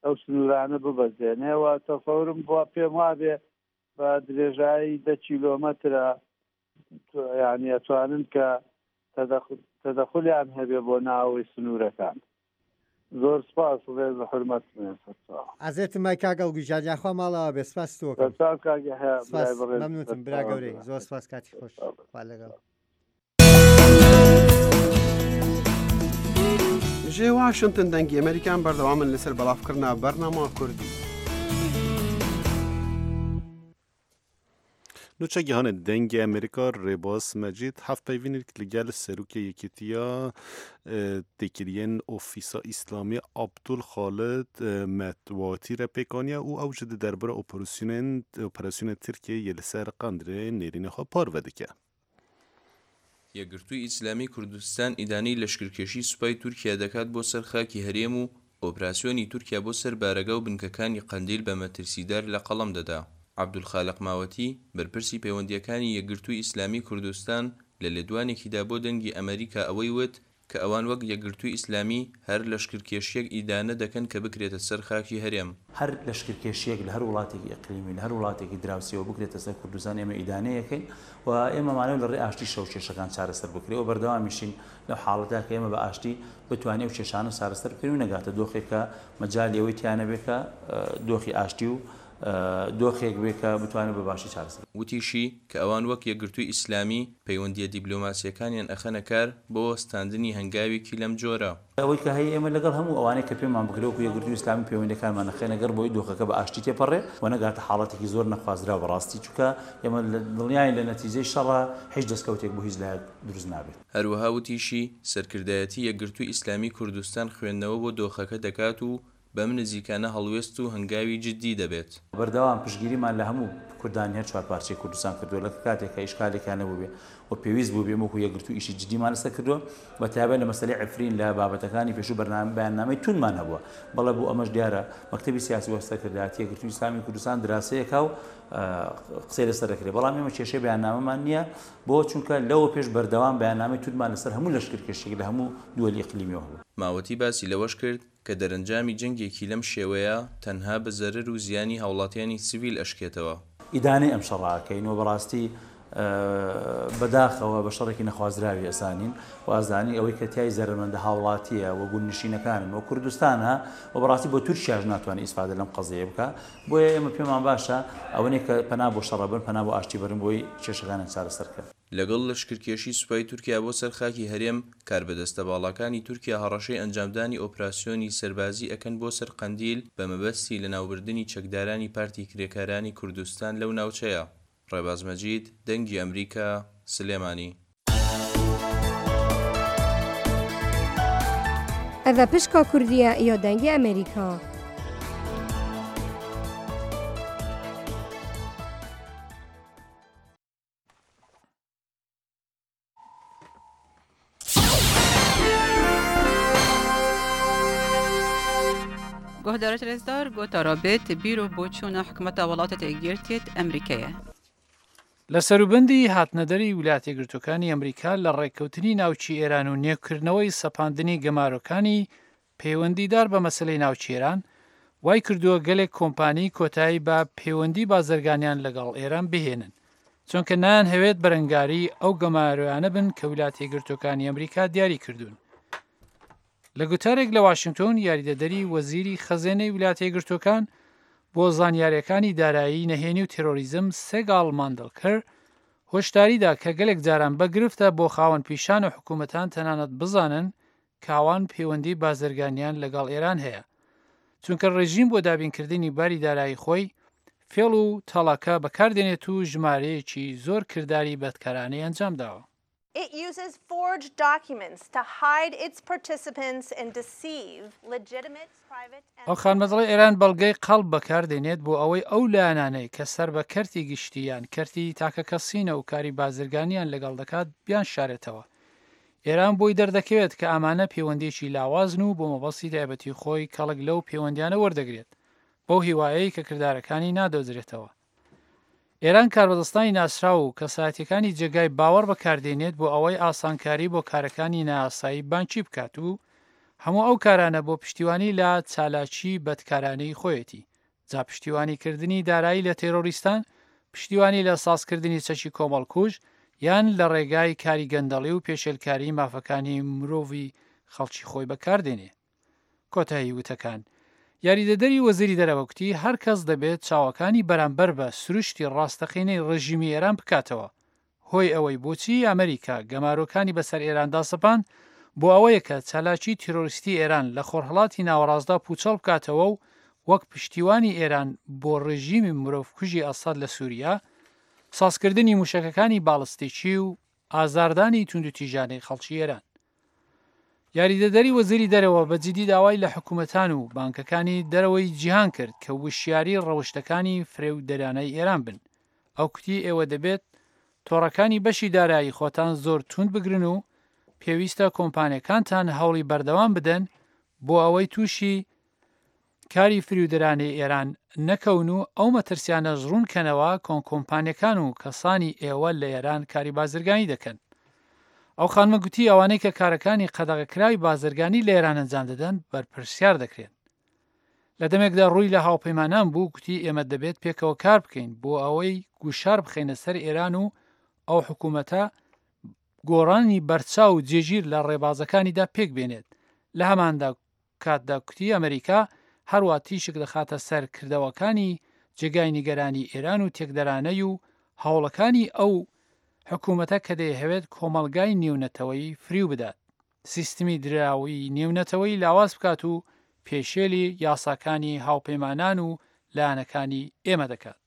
ئەو سنوورانە ببەزێنێ. و تەسەورم بۆ پێم وابێ بە درێژایی دە کیلۆمەترە یعنی ئەتوانن کە تەدەخلیان هەبێ بۆ ناوەوەی سنوورەکان. زۆر سپاس، ڕێز و حورمەت. ئازێتم مای کاک ئەڵگوی جان، یاخوا ماڵەوە بێ. سپاس تۆکەم. سپاس کاک یەحیا، سپاس، برای بەڕێز. مەمنونتم برا گەورەی، زۆر سپاس، کاتی خۆش، خوا لەگەڵ. ژێ واشنتن دەنگی ئەمریکان بەردەوامن لەسەر بەڵافکردنا بەرنامە کوردی. نوچەگیهانە دەنگی ئەمریکا ڕێباز مەجید هەفت پەیڤینێک لەگەل سەرۆکی یەکێتیە تێکریەن ئۆفیسا ئیسلامی عەبدول خالد مەتواتی رە پێکانیە و ئەو ji di derbara operasyonên operasyonên Tirkiyeyê li ser Qendîlê nêrînê xwe parve dike. یەکگرتووی ئیسلامی کوردستان ئیدانەی لەشکرکێشی سوپای تورکیا دەکات بۆ سەر خاکی هەرێم و ئۆپراسیۆنی تورکیا بۆ سەر بارەگا و بنکەکانی قەندیل بە مەترسیدار لە قەڵەم دەدا. عەبدولخالق ماوەتی، بەرپرسی پەیوەندیەکانی یەکگرتووی ئیسلامی کوردستان لە لێدوانێکیدا بۆ دەنگی ئەمریکا ئەوەی وت کە ئەوان وەک یەکگرتووی ئیسلامی هەر لەشکرکێشییەک ئیدانە دەکەن کە بکرێتە سەر خاکی هەرێم. هەر لەشکرکێشییەک لە هەر وڵاتێکی ئیقلیمی، لە هەر وڵاتێکی دراوسێوە بکرێتە سەر کوردستان ئێمە ئیدانەی ئەکەین و ئێمە مانەوە لە ڕێی ئاشتیشەوە کێشەکان چارەسەر بکرێ و بەردەوامیشین لەو حاڵەتە کە ئێمە بە ئاشتی بتوانین ئەو کێشانە چارەسەر بکەین و نەگاتە دۆخێک کە مەجالی ئەوەی تیا نەبێ کە دۆخی ئاشتی و دۆخێک بێ کە بتوانێت بە باشی چارەسەر وتیشی، کە ئەوان وەک یەکگرتووی ئیسلامی، پەیوەندییە دیبلۆماسییەکانیان ئەخەنە کار بۆ وەستاندنی هەنگاوێکی لەم جۆرە. ئەوەی کە هەیە ئێمە لەگەڵ هەموو ئەوانەی کە پێمان بکرێ وەکو یەکگرتووی ئیسلامی پەیوەندییەکانمان ئەخەینە گەڕ بۆی دۆخەکە بە ئاشتی تێپەڕێ و نەگاتە حاڵەتێکی زۆر نەخوازراو بەڕاستی چونکە ئێمە دڵنیاین لە نەتیجەی شەڕا هیچ دەستکەوتێک بۆ هیچ لایەک دروست نابێت. هەروەها وتیشی، سەرکردایەتی یەکگرتووی ئیسلامی کوردستان خوێندنەوە بۆ دۆخەکە دەکات و بەم نزیکانە هەڵوێست و هەنگاوی جددی دەبێت. بەردەوام پشتگیریمان لە هەموو کوردانی هەر چوار پارچەی کوردستان کردووە لە کاتێک کە ئیشکالێکیان نەبووبێ و پێویست بووبێ ئێمە وەکو یەکگرتوو ئیشی جددیمان لەسەر کردووە بە تایبەت لە مەسەلەی عەفرین لە بابەتەکانی پێشوو بەرنامە بەیاننامەی توندمان هەبووە بەڵێ بۆ ئەمەش دیارە مەکتەبی سیاسی و سەرکردایەتی یەکگرتووی ئیسلامی کوردستان دراسەیەکە و قسەی لەسەر دەکرێت بەڵام ئێمە کێشەی بەیاننامەمان نییە بۆ چونکە لەوە پێش بەردەوام بەیاننامەی توندمان لەسەر هەموو لەشکرکێشیەک لە هەموو دووەلی ئیقلیمیەوە هەبووە. ماوەتی باسی لەوەش کرد، کە دەرەنجامی جەنگێکی لەم شێوەیە تەنها بە زەرەر و زیانی هاوڵاتیانی سڤیل ئەشکێتەوە. ئیدانەی ئەم شەڕە ئەکەین و بەڕاستی بەداخەوە بە شەڕێکی نەخوازراوی ئەزانین و ئەزانین ئەوەی کە تیای زەرەرمەندە هاوڵاتییە و گوندنشینەکانن و کوردستانە و بەڕاستی بۆ تورکیاش ناتوانێت ئیسفادە لەم قەزیەیە بکا بۆیە ئێمە پێمان باشە ئەوەنەی کە پەنا بۆ شەڕ ئەبەن پەنا بۆ ئاشتی بەرن بۆی کێشەکانیان چارەسەر کەن. لەگەڵ لەشکرکێشی سوپای تورکیا بۆ سەر خاکی هەرێم، کاربەدەستە باڵاکانی تورکیا هەڕەشەی ئەنجامدانی ئۆپراسیۆنی سەربازی ئەکەن بۆ سەر قەندیل بە مەبەستی لەناوبردنی چەکدارانی پارتی کرێکارانی کوردستان لەو ناوچەیە. ڕێباز مەجید، دەنگی ئەمریکا، سلێمانی. ئەڤە پشکا کوردیە یا دەنگی ئەمریکا. گۆهدارت رێزدار گۆتارا بێت بیر و بۆچوونە حکومەتە وڵاتە یەکگرتیت ئەمریکایە. لە سەروبەندی هاتنەدەری ویلایەتە یەکگرتووەکانی ئەمریکا لە ڕێککەوتنی ناوکی ئێران و نوێکردنەوەی سەپاندنی گەمارۆکانی پەیوەندیدار بە مەسەلەی ناوکی ئێران، وای کردووە گەلێک کۆمپانی کۆتایی بە پەیوەندی بازرگانیان لەگەڵ ئێران بهێنن، چونکە نایانهەوێت بەرەنگاری ئەو گەمارۆیانە بن کە ویلایەتە یەکگرتووەکانی ئەمریکا دیاری کردوون. لە گوتارێک لە واشنگتۆن یاریدەدەری وەزیری خەزێنەی ویلایەتە یەکگرتووەکان بۆ زانیاریەکانی دارایی نەهێنی و تێرۆریزم سێگاڵ ماندڵکەر هۆشداریدا کە گەلێک جاران بە گرفتە بۆ خاوەن پیشان و حکوومەتان تەنانەت بزانن کاوان پەیوەندی بازرگانیان لەگەڵ ئێران هەیە چونکە ڕێژیم بۆ دابینکردنی باری دارایی خۆی فێڵ و تەڵەکە بەکاردێنێت و ژمارەیەکی زۆر کرداری بەدکارانەی ئەنجام داوە. It uses forged documents to hide its participants and deceive legitimate private and ئەو خانمە دەڵێ ئێران بەڵگەی قەڵب بەکاردێنێت بۆ ئەوەی ئەو لایەنانەی کە سەر بە کەرتی گشتی یان کەرتی تاکەکەسینە و کاری بازرگانیان لەگەڵ دەکات بیانشارێتەوە. ئێران بۆی دەردەکەوێت کە ئەمانە پەیوەندییەکی لاوازن و بۆ مەبەستی تایبەتی خۆی کەڵک لەو پەیوەندیانە وەردەگرێت بەو هیوایەی کە کردارەکانی نادۆزرێتەوە. ئێران کاربەدەستانی ناسراو و کەسایەتیەکانی جێگای باوەڕ بەکاردێنێت بۆ ئەوەی ئاسانکاری بۆ کارەکانی نایاسایی بانکی بکات و هەموو ئەو کارانە بۆ پشتیوانی لە چالاکی بەدکارانەی خۆیەتی جا پشتیوانیکردنی دارایی لە تێرۆریستان پشتیوانی لە سازکردنی چەکی کۆمەڵکوژ یان لە ڕێگای کاری گەندەڵی و پێشێلکاری مافەکانی مرۆڤی خەڵکی خۆی بەکاردێنێ. کۆتایی وتەکان. یاریدەدەری وەزیری دەرەوە کوتی هەر کەس دەبێت چاوەکانی بەرامبەر بە سروشتی ڕاستەقینەی ڕژیمی ئێران بکاتەوە. هۆی ئەوەی بۆچی ئەمریکا گەمارۆکانی بەسەر ئێراندا سەپاند بۆ ئەوەیە کە چالاکی تیرۆریستی ئێران لە خۆرهەڵاتی ناوەڕاستدا پوچەڵ بکاتەوە و وەک پشتیوانی ئێران بۆ ڕژیمی مرۆڤکوژی ئەسەد لە سوریا، سازکردنی موشەکەکانی باڵستیکی و ئازاردانی توندوتیژانەی خەڵکی ئێران. یاریدەدەری وەزیری دەرەوە بە جیدی داوای لە حکوومەتان و بانکەکانی دەرەوەی جیهان کرد کە وشیاری ڕەوشتەکانی فرێودەرانەی ئێران بن. ئەو کوتی ئێوە دەبێت تۆڕەکانی بەشی دارایی خۆتان زۆر توند بگرن و پێویستە کۆمپانیەکانتان هەوڵی بەردەوام بدەن بۆ ئەوەی تووشی کاری فریودەرانەی ئێران نەکەون و ئەو مەترسیانەش ڕوون کەنەوە کۆن کۆمپانیەکان و کەسانی ئێوە لە ئێران کاری بازرگانی دەکەن. ئەو خانمە گوتی ئەوانەی کە کارەکانی قەدەغەکراوی بازرگانی لە ئێران ئەنجام دەدەن بەرپرسیار دەکرێن. لە دەمێکدا ڕووی لە هاوپەیمانان بوو، گوتی ئێمە دەبێت پێکەوە کار بکەین بۆ ئەوەی گوشار بخەینە سەر ئێران و ئەو حکوومەتە گۆڕانی بەرچاو و جێگیر لە ڕێبازەکانیدا پێک بێنێت. لە هەماندا کاتدا کوتی ئەمریکا هەروە تیشک دەخاتە سەر کردەوەکانی جێگای نیگەرانی ئێران و تێکدەرانەی و هەوڵەکانی ئەو حکوومەتە کە دەیهەوێت کۆمەڵگای نێونەتەوەی فریو بدات، سیستمی دراوی نێونەتەوەی لاواز بکات و پێشێلی یاساکانی هاوپەیمانان و لایەنەکانی ئێمە دەکات.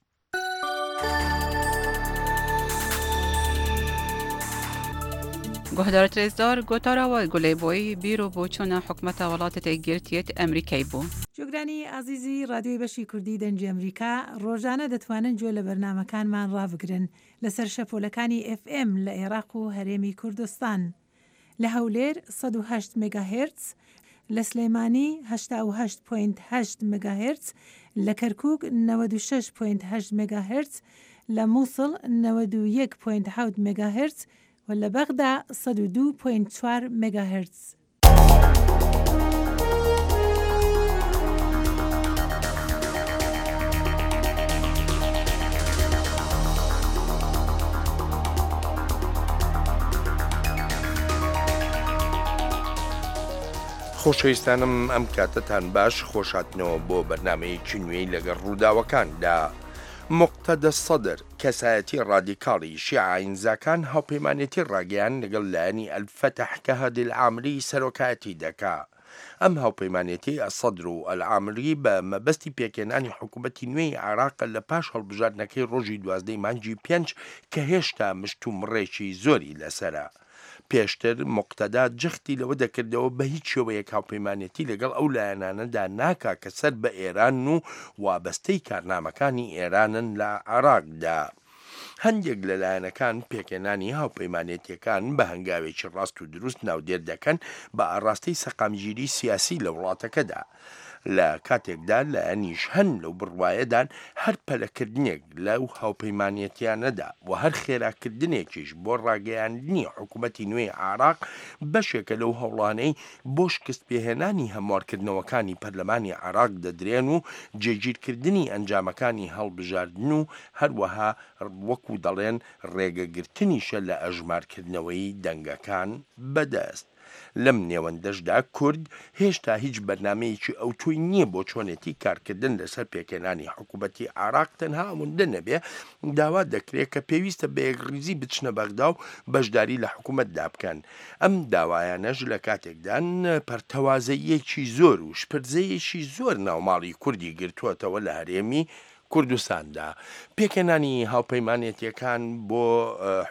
گۆهدارت رێزدار گۆتارا وە گولەی بۆی بیر و بۆچوونە حکومەتە وڵاتە یەکگرتیەت ئەمریکای بوو. گوێگرانی ئازیزی ڕادیۆی بەشی کوردی دەنگی ئەمریکا، ڕۆژانە دەتوانن گوێ لە بەرنامەکانمان ڕابگرن لەسەر شەپۆلەکانی ئێف ئێم لە ئێراق و هەرێمی کوردستان لە هەولێر سەد و هەشت مێگاهێرتز، لە سلێمانی هەشتا و هەشت پۆینت هەشت مێگاهێرتز، لە کەرکووک نەوەد و شەش پۆینت هەشت مێگاهێرتز، لە مووسڵ نەوەد و یەک پۆینت حەوت مێگاهێرتز و لە بەغدا سەد و دوو پۆینت چوار مێگاهێرتز. خۆشەویستانم ئەم کاتەتان باش، خۆشاتنەوە بۆ بەرنمەیەکی نوێی لەگەڵ ڕووداوەکاندا. موقتەدا سەدر، کەسایەتی ڕادیکاڵی شیعە ئاینزاکان هاوپەیمانێتی ڕاگەیان لەگەڵ لایەنی ئەلفەتح کە هادی العامری سەرۆکایەتی دەکا. ئەم هاوپەیمانێتی ئەسەدر و ئەلعامری بە مەبەستی پێکهێنانی حکوومەتی نوێی عێراق لە پاش هەڵبژاردنەکەی ڕۆژی دوازدەی مانگی پێنج کە هێشتا مشتومڕێکی زۆری لەسەرە. پێشتر موقتەدا جەختی لەوە دەکردەوە بە هیچ شێوەیەک هاوپەیمانێتی لەگەڵ ئەو لایەنانەدا ناکا کە سەر بە ئێرانن و وابەستەی کارنامەکانی ئێرانن لە عێراقدا. هەندێک لە لایەنەکان پێکهێنانی هاوپەیمانێتیەکان بە هەنگاوێکی ڕاست و دروست ناودێر دەکەن بە ئاڕاستەی سەقامگیری سیاسی لە وڵاتەکەدا. لە کاتێکدا لایەنیش هەن لەو بڕوایەدان هەر پەلەکردنێک لەو هاوپەیمانێتیانەدا و هەر خێراکردنێکیش بۆ ڕاگەیاندنی حکوومەتی نوێی عێراق بەشێکە لەو هەوڵانەی بۆ شکستپێهێنانی هەموارکردنەوەکانی پەرلەمانی عێراق دەدرێن و جێگیرکردنی ئەنجامەکانی هەڵبژاردن و هەروەها وەکو دەڵێن ڕێگەگرتنیشە لە ئەژمارکردنەوەی دەنگەکان بەدەست. لەم نێوەندەشدا کورد هێشتا هیچ بەرنامەیەکی ئەوتۆی نییە بۆ چۆنێتی کارکردن لەسەر پێکهێنانی حکوومەتی عێراق، تەنها ئەوەندە نەبێ داوا دەکرێت کە پێویستە بە یەکڕیزی بچنە بەغدا و بەشداری لە حکوومەتدا بکەن. ئەم داوایانەش لە کاتێکدان پەرتەوازەیەکی زۆر و شپرزەیەکی زۆر ناوماڵی کوردی گرتووەتەوە لە هەرێمی کوردستاندا. پێکهێنانی هاوپەیمانێتیەکان بۆ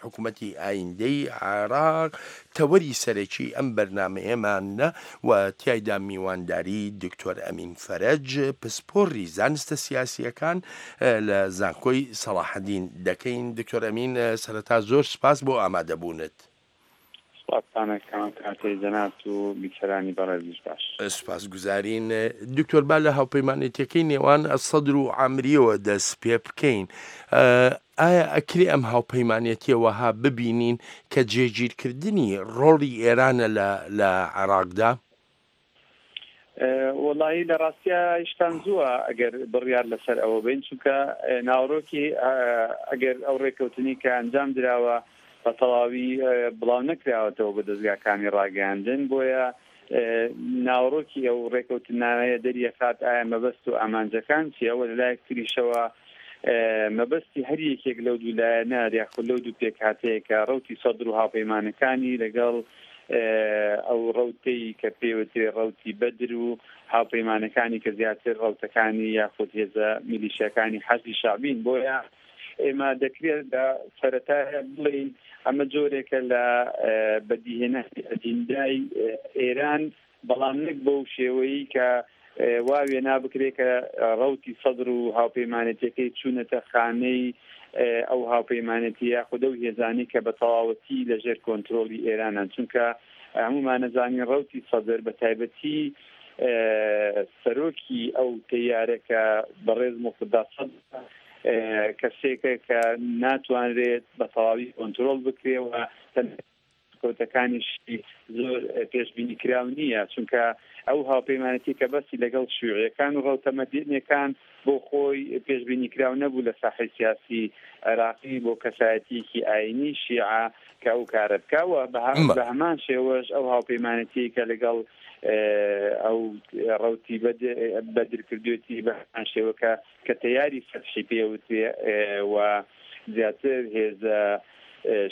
حکوومەتی ئایندەی عێراق تەوەری سەرەکی ئەم بەرنمەیەمانە و تیایدا میوانداری دکتۆر ئەمین فەرەج، پسپۆڕی زانستە سیاسیەکان لە زانکۆی سەڵاحەدین دەکەین. دکتۆر ئەمین، سەرەتا زۆر سپاس بۆ ئامادەبوونت. سپاستانەکەم کاتەی جەنابت و بیسەرانی بەڕێزیش باش. سپاسگوزارین. دکتۆر، با لە هاوپەیمانێتیەکەی نێوان سەدر و عامریەوە دەست پێ بکەین. ئایا ئەکرێ ئەم هاوپەیمانێتیە وەها ببینین کە جێگیرکردنی ڕۆڵی ئێرانە لە عێراقدا؟ وەڵاهی لە ڕاستیا هیچتان زووە ئەگەر بڕیار لەسەر ئەوە بین، چونکە ناوەڕۆکی ئەگەر ئەو ڕێککەوتنی کە ئەنجام دراوە بە تەواوی بڵاو نەکراوەتەوە بە دەستگاکانی ڕاگەیاندن، بۆیە ناوەڕۆکی ئەو ڕێککەوتنامەیە دەریەخات ئایا مەبەست و ئامانجەکان چییە، و لەلایەک تریشەوە مەبەستی هەر یەکێک لەو دوو لایەنە یاخود لەو دوو پێکهاتەیە کە ڕەوتی سەدر و هاوپەیمانەکانی لەگەڵ ئەو ڕەوتەی کە پێوترێ ڕەوتی بەدر و هاوپەیمانەکانی کە زیاتر ڕەوتەکانی یاخود هێزە میلیشیاکانی حەشدی شەعبین. بۆیە ئێمە دەکرێت لە سەرەتایە بڵێین ئەمە جۆرێکە لە بەدیهێنانی ئەجیندای ئێران، بەڵام نەک بەو شێوەیە کە وا وێنا بکرێت کە ڕەوتی سەدر و هاوپەیمانێتیەکەی چوونەتە خانەی ئەو هاوپەیمانێتی یاخود ئەو هێزانەی کە بە تەواوەتی لەژێر کۆنترۆڵی ئێرانن، چونکە هەموومانەزانین ڕەوتی سەدر بە تایبەتی سەرۆکی ئەو تەیارە کە بەڕێز موقتەدا سەدر کەسێکە کە ناتوانرێت بە تەواوی کۆنترۆڵ بکرێ و هەڵسوکەوتەکانیشی زۆر پێشبینی کراو نییە، چونکە ئەو هاوپەیمانەتی کە بەستی لەگەڵ شیوعیەکان و ڕەوتە مەدەنیەکان بۆ خۆی پێشبینی کراو نەبوو لە ساحەی سیاسی عێراقی بۆ کەسایەتیەکی ئاینی شیعە کە ئەو کارە بکا و بە هەمان شێوەش ئەو هاوپەیمانەتی کە لەگەڵ ئەو ڕەوتی بەدر کردوێتی بە هەمان شێوە کە تەیاری فەتحی پێوترێ و زیاتر هێزە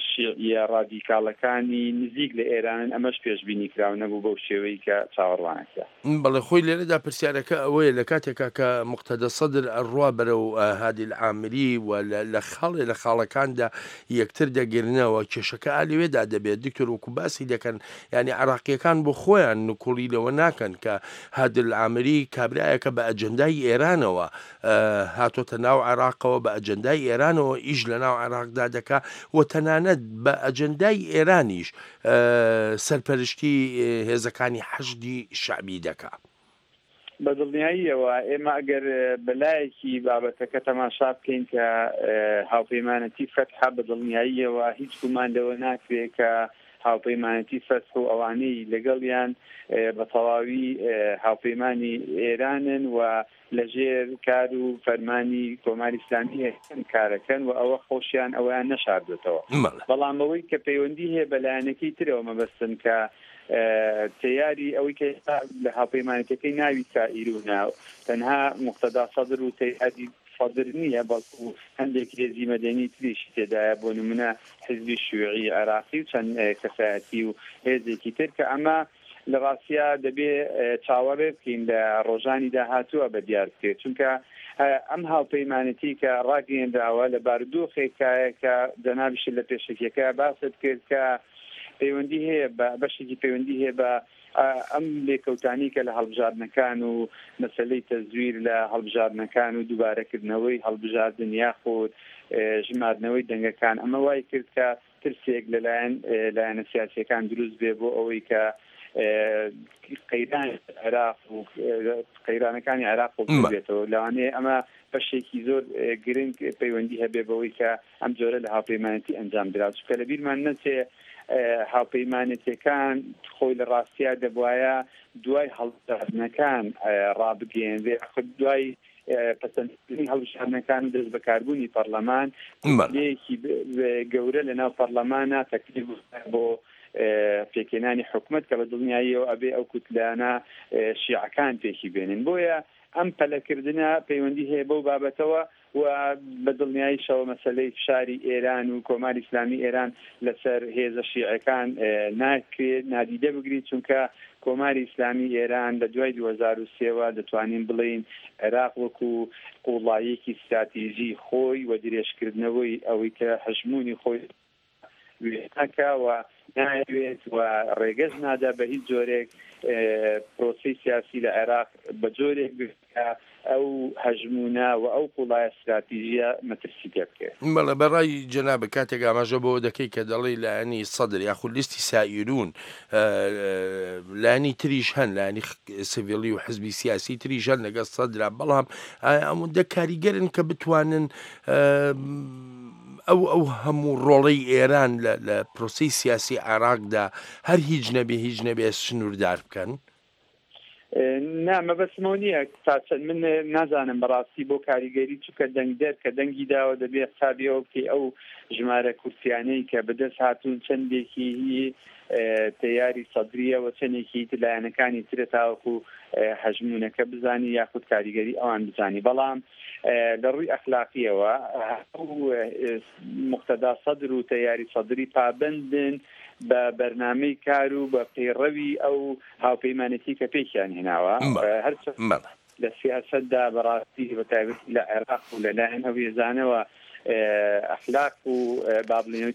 شیعیە ڕادیکاڵەکانی نزیک لە ئێرانن، ئەمەش پێشبینی کراو نەبوو بەو شێوەی کە چاوەڕوانەکرا. بەڵێ خۆی لێرەدا پرسیارەکە ئەوەیە لە کاتێکا کە مقتەدە سەدر ئەڕوا بەرەو هادی العامری و لە خاڵێ لە خاڵەکاندا یەکتر دەگرنەوە، کێشەکە ئالێوێدا دەبێت. دکتۆر وەکو باسی دەکەن، یعنی عراقیەکان بۆ خۆیان نکوڵی لەوە ناکەن کە هادی العامری کابرایەکە بە ئەجەندای ئێرانەوە هاتۆتە ناو عێراقەوە، بە ئەجەندای ئێرانەوە ئیش لە ناو عێراقدا دەکا و تەنانەت بە ئەجەندای ئێرانیش سەرپەرشتی هێزەکانی حەشدی شەعبی دەکا. بە دڵنیاییەوە ئێمە ئەگەر بەلایەکی بابەتەکە تەماشا بکەین کە هاوپەیمانەتی فەتحە، بە دڵنیاییەوە هیچ گومان لەوە ناکرێت کە هاوپەیمانەتی فەتح و ئەوانەی لەگەڵیان بە تەواوی هاوپەیمانی ئێرانن و لەژێر کار و فەرمانی کۆماری ئیسلامی ئێران کارەکەن و ئەوە خۆشیان ئەویان نەشاردوێتەوە. بەڵام ئەوەی کە پەیوەندی هەیە بە لایەنەکەی ترەوە مەبەستن کە تەیاری ئەوەی کە لە هاوپەیمانەتەکەی ناوی سائیرونە تەنها مقتەدا سەدر و تەیاری سەدر نییە، بەڵکو هەندێک هێزی مەدەنی تریشی تێدایە، بۆ نمونە حیزبی شیوعی عێراقی و چەند کەسایەتی و هێزێکی تر کە ئەمە لە ڕاستیا دەبێ چاوەڕێ بکەین لە ڕۆژانی داهاتووە بە دیار بکرێت، چونکە ئەم هاوپەیمانەتی کە ڕاگەیەنراوە لە بارودۆخێکایە کە جەنابیشت لە پێشەکیەکە باست کرد کە پەیوەندی هەیە بە بەشێکی پەیوەندی هەیە بە ئەم لێکەوتانی کە لە هەڵبژاردنەکان و مەسلەی تەزویر لە هەڵبژاردنەکان و دووبارەکردنەوەی هەڵبژاردن یاخود ژماردنەوەی دەنگەکان، ئەمە وای کرد کە ترسێک لەلایەن لایەنە سیاسیەکان دروست بێ بۆ ئەوەی کە قەیران عێراق و قەیرانەکانی عێراق بێتەوە. لەوانەیە ئەمە بەشێکی زۆر گرنگ پەیوەندی هەبێ بەوەی کە ئەم جۆرە لە هاوپەیمانەتی ئەنجام درا، چونکە لەبیرمان نەچێ هاوپەیمانەتەکان خۆی لە ڕاستیا دەبواە دوای هەڵبژاردنەکان ڕابگەیەنرێ، خود دوای پەسەندکردنی هەڵبژاردنەکان و دەست بەکاربوونی پەرلەمان لەیەکی گەورە لەناو پەرلەمانە تەکلیف بۆ پێکهێنانی حکومەت کە بە دڵنیاییەوە ئەبێ ئەو کوتلانە شیعەکان پێکی بێنن. بۆیە ئەم پەلەکردنە پەیوەندی هەیە بەو بابەتەوە و بە دڵنیاییشەوە مەسلەی فشاری ئێران و کۆماری ئیسلامی ئێران لەسەر هێزە شیعەکان ناکرێت نادیدە بگریت، چونکە کۆماری ئیسلامی ئێران لە دوای دوو هەزار و سێوە دەتوانین بڵێین عێراق وەکو قوڵاییەکی ستراتیژی خۆی و درێژکردنەوەی ئەوەی کە هەژمونی خۆی وێناکە و ناوێت و ڕێگەز نادا بە هیچ جۆرێک پرۆسەی سیاسی لە عێراق بە جۆرێک بکە ئەو هەژمونە و ئەو قوڵایە ستراتیژیە مەترسی پێ بکەوێت. بەڵێ بەڕای جەنابە کاتێک ئاماژە بۆ دەکەی کە دەڵێی لایەنی سەدر یاخود لیستی سائیرون، لایەنی تریش هەن، لایەنی سڤیلی و حزبی سیاسی تریش هەن لەگەڵ سەدرا، بەڵام ئایا ئەوەندە کاریگەرن کە بتوانن ئەو ئەو هەموو ڕۆڵەی ئێران لە پرۆسەی سیاسی عێراقدا هەر هیچ نەبێ هیچ نەبێ سنووردار بکەن؟ نا، مەبەستمەوە نییە تا چەند من نازانم بەڕاستی بۆ کاریگەری، چونکە دەنگدەر کە دەنگی داوە دەبێ حسابیەوە بکەی ئەو ژمارە کورسیانەی کە بەدەست هاتوون چەندێکی تەیاری سەدریە و چەندێکی لایەنەکانی ترە تاوەکو هەژمونەکە بزانی یاخود کاریگەری ئەوان بزانی. بەڵام لە ڕووی ئەخلاقیەوە ئەو مقتەدا سەدر و تەیاری سەدری پابەندن بە بەرنامەی کار و بە پەیڕەوی ئەو هاوپەیمانەتی کە پێکیان هێناوە. هەرچەند لە سیاسەتدا بەڕاستی بە تایبەتی لە عێراق و لەلایەن ئەو هێزانەوە ئەخلاق و با بڵێین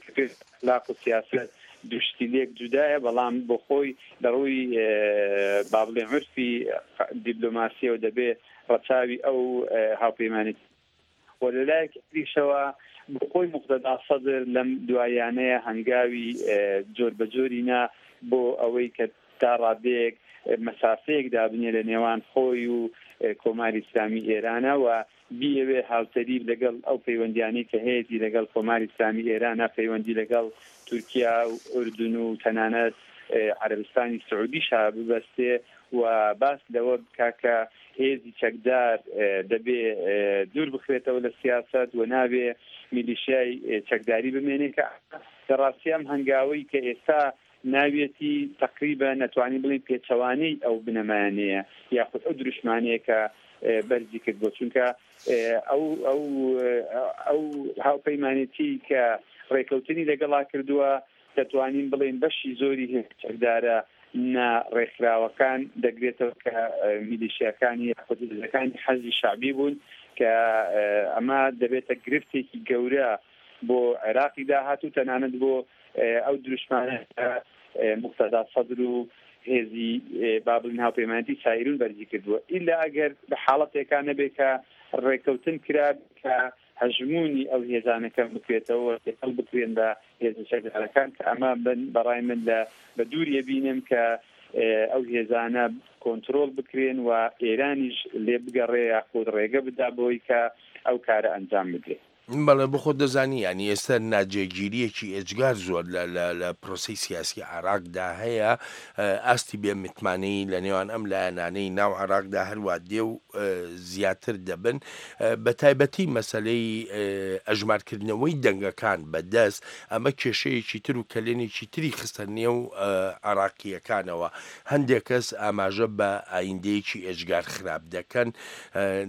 ئەخلاق و سیاسەت دوو شتی لێک جودایە، بەڵام بۆ خۆی لە ڕووی با بڵێن عورفی دیپلۆماسیەوە دەبێ ڕەچاوی ئەو هاوپەیمانەتی و لەلایەکی تریشەوە بۆ خۆی مقتەدا سەدر لەم دوایانەیە هەنگاوی جۆر بە جۆری نا بۆ ئەوەی کە تا ڕادەیەک مەسافەیەک دابنێ لە نێوان خۆی و کۆماری ئیسلامی ئێرانە و بیەوێ هاوتەریب لەگەڵ ئەو پەیوەندیانەی کە هەیەتی لەگەڵ کۆماری ئیسلامی ئێرانە، پەیوەندی لەگەڵ تورکیا و ئوردن و تەنانەت عەرەبستانی سعودیشا ببەستێ و باس لەوە بکا کە هێزی چەکدار دەبێ دوور بخرێتەوە لە سیاسەت و نابێ میلیشیای چەکداری بمێنێ، کە لە ڕاستی ئەم هەنگاوەی کە ئێستا ناویەتی تەقریبا نەتوانین بڵێین پێچەوانەی ئەو بنەمایانەیە یاخود ئەو دروشمانەیە کە بەرزی کردبوو، چونکە ئەو ئەو ئەو هاوپەیمانێتی کە ڕێکەوتنی لەگەڵا کردووە دەتوانین بڵێین بەشی زۆری هێزە چەکدارە نا ڕێکخراوەکان دەگرێتەوە کە میلیشیاکانی یاخود هێزەکانی حەشدی شەعبی بوون، کە ئەمە دەبێتە گرفتێکی گەورە بۆ عێراقی داهاتوو، تەنانەت بۆ ئەو دروشمانە کە موقتەدا سەدر و هێزی با بڵێین هاوپەیمانێتی سایرون بەرزی کردووە، ئیلا ئەگەر بە حاڵەتێکا نەبێت کە ڕێککەوتن کرا کە هەژموونی ئەو هێزانە کەم بکرێتەوە و تێکەڵ بکرێن بە هێزە چەکدارەکان، کە ئەمە بەڕای من لە بە دووریە بینم کە ئەو هێزانە کۆنترۆڵ بکرێن و ئێرانیش لێ بگەڕێ یاخود ڕێگە بدا بۆی کە ئەو کارە ئەنجام بدرێت. بەڵێ بۆ خۆت دەزانی یانی ئێستا ناجێگیرییەکی ئێجگار زۆر لە لە لە پرۆسەی سیاسی عێراقدا هەیە، ئاستی بێ متمانەیی لە نێوان ئەم لایەنانەی ناو عێراقدا هەروا دێ و زیاتر دەبن، بە تایبەتی مەسەلەی ئەژمارکردنەوەی دەنگەکان بە دەست، ئەمە کێشەیەکی تر و کەلێنێکی تری خستە نێو عێراقییەکانەوە. هەندێک کەس ئاماژە بە ئایندەیەکی ئێجگار خراپ دەکەن،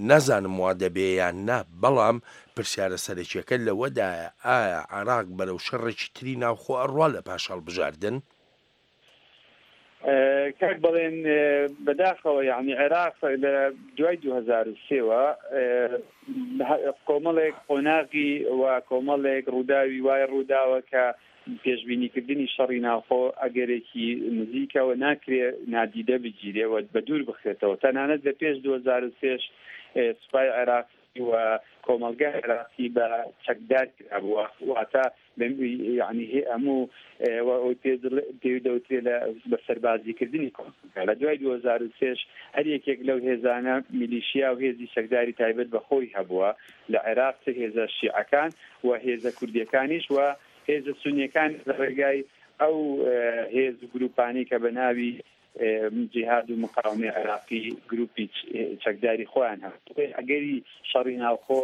نازانم وا دەبێ یان نا، بەڵام پرسیارە سەرەکیەکە لەوەدایە ئایا عێراق بەرەو شەڕێکی تری ناوخۆ ئەڕوا لە پاش هەڵبژاردن؟ کاک بەڵێن، بەداخەوە یەعنی عێراق لە دوای دوو هەزار و سێ وە کۆمەڵێک قۆناغی و کۆمەڵێک ڕووداوی وای ڕووداوە کە پێشبینیکردنی شەڕی ناوخۆ ئەگەرێکی نزیکە و ناکرێ نادیدە بگیرێ و بە دوور بخرێتەوە. تەنانەت لە پێش دوو هەزار و سێ سوپای عێراق و کۆمەڵگای عێراقی بە چەکدار کرابوو، واتە یعنی هەموو ئەوەی پێ دەوترێ لە بە سەربازیکردنی کۆمەڵگا. لە دوای دوو هەزار و سێ هەر یەکێک لەو هێزانە میلیشیا و هێزی چەکداری تایبەت بە خۆی هەبووە لە عێراق، چ هێزە شیعەکان و هێزە کوردیەکانیش و هێزە سونیەکان لە ڕێگای ئەو هێز و گروپانەی کە بە ناوی جیهاد و مقاومەی عێراقی گروپی چەکداری خۆیان هەبوو. ئەگەری شەڕی ناوخۆ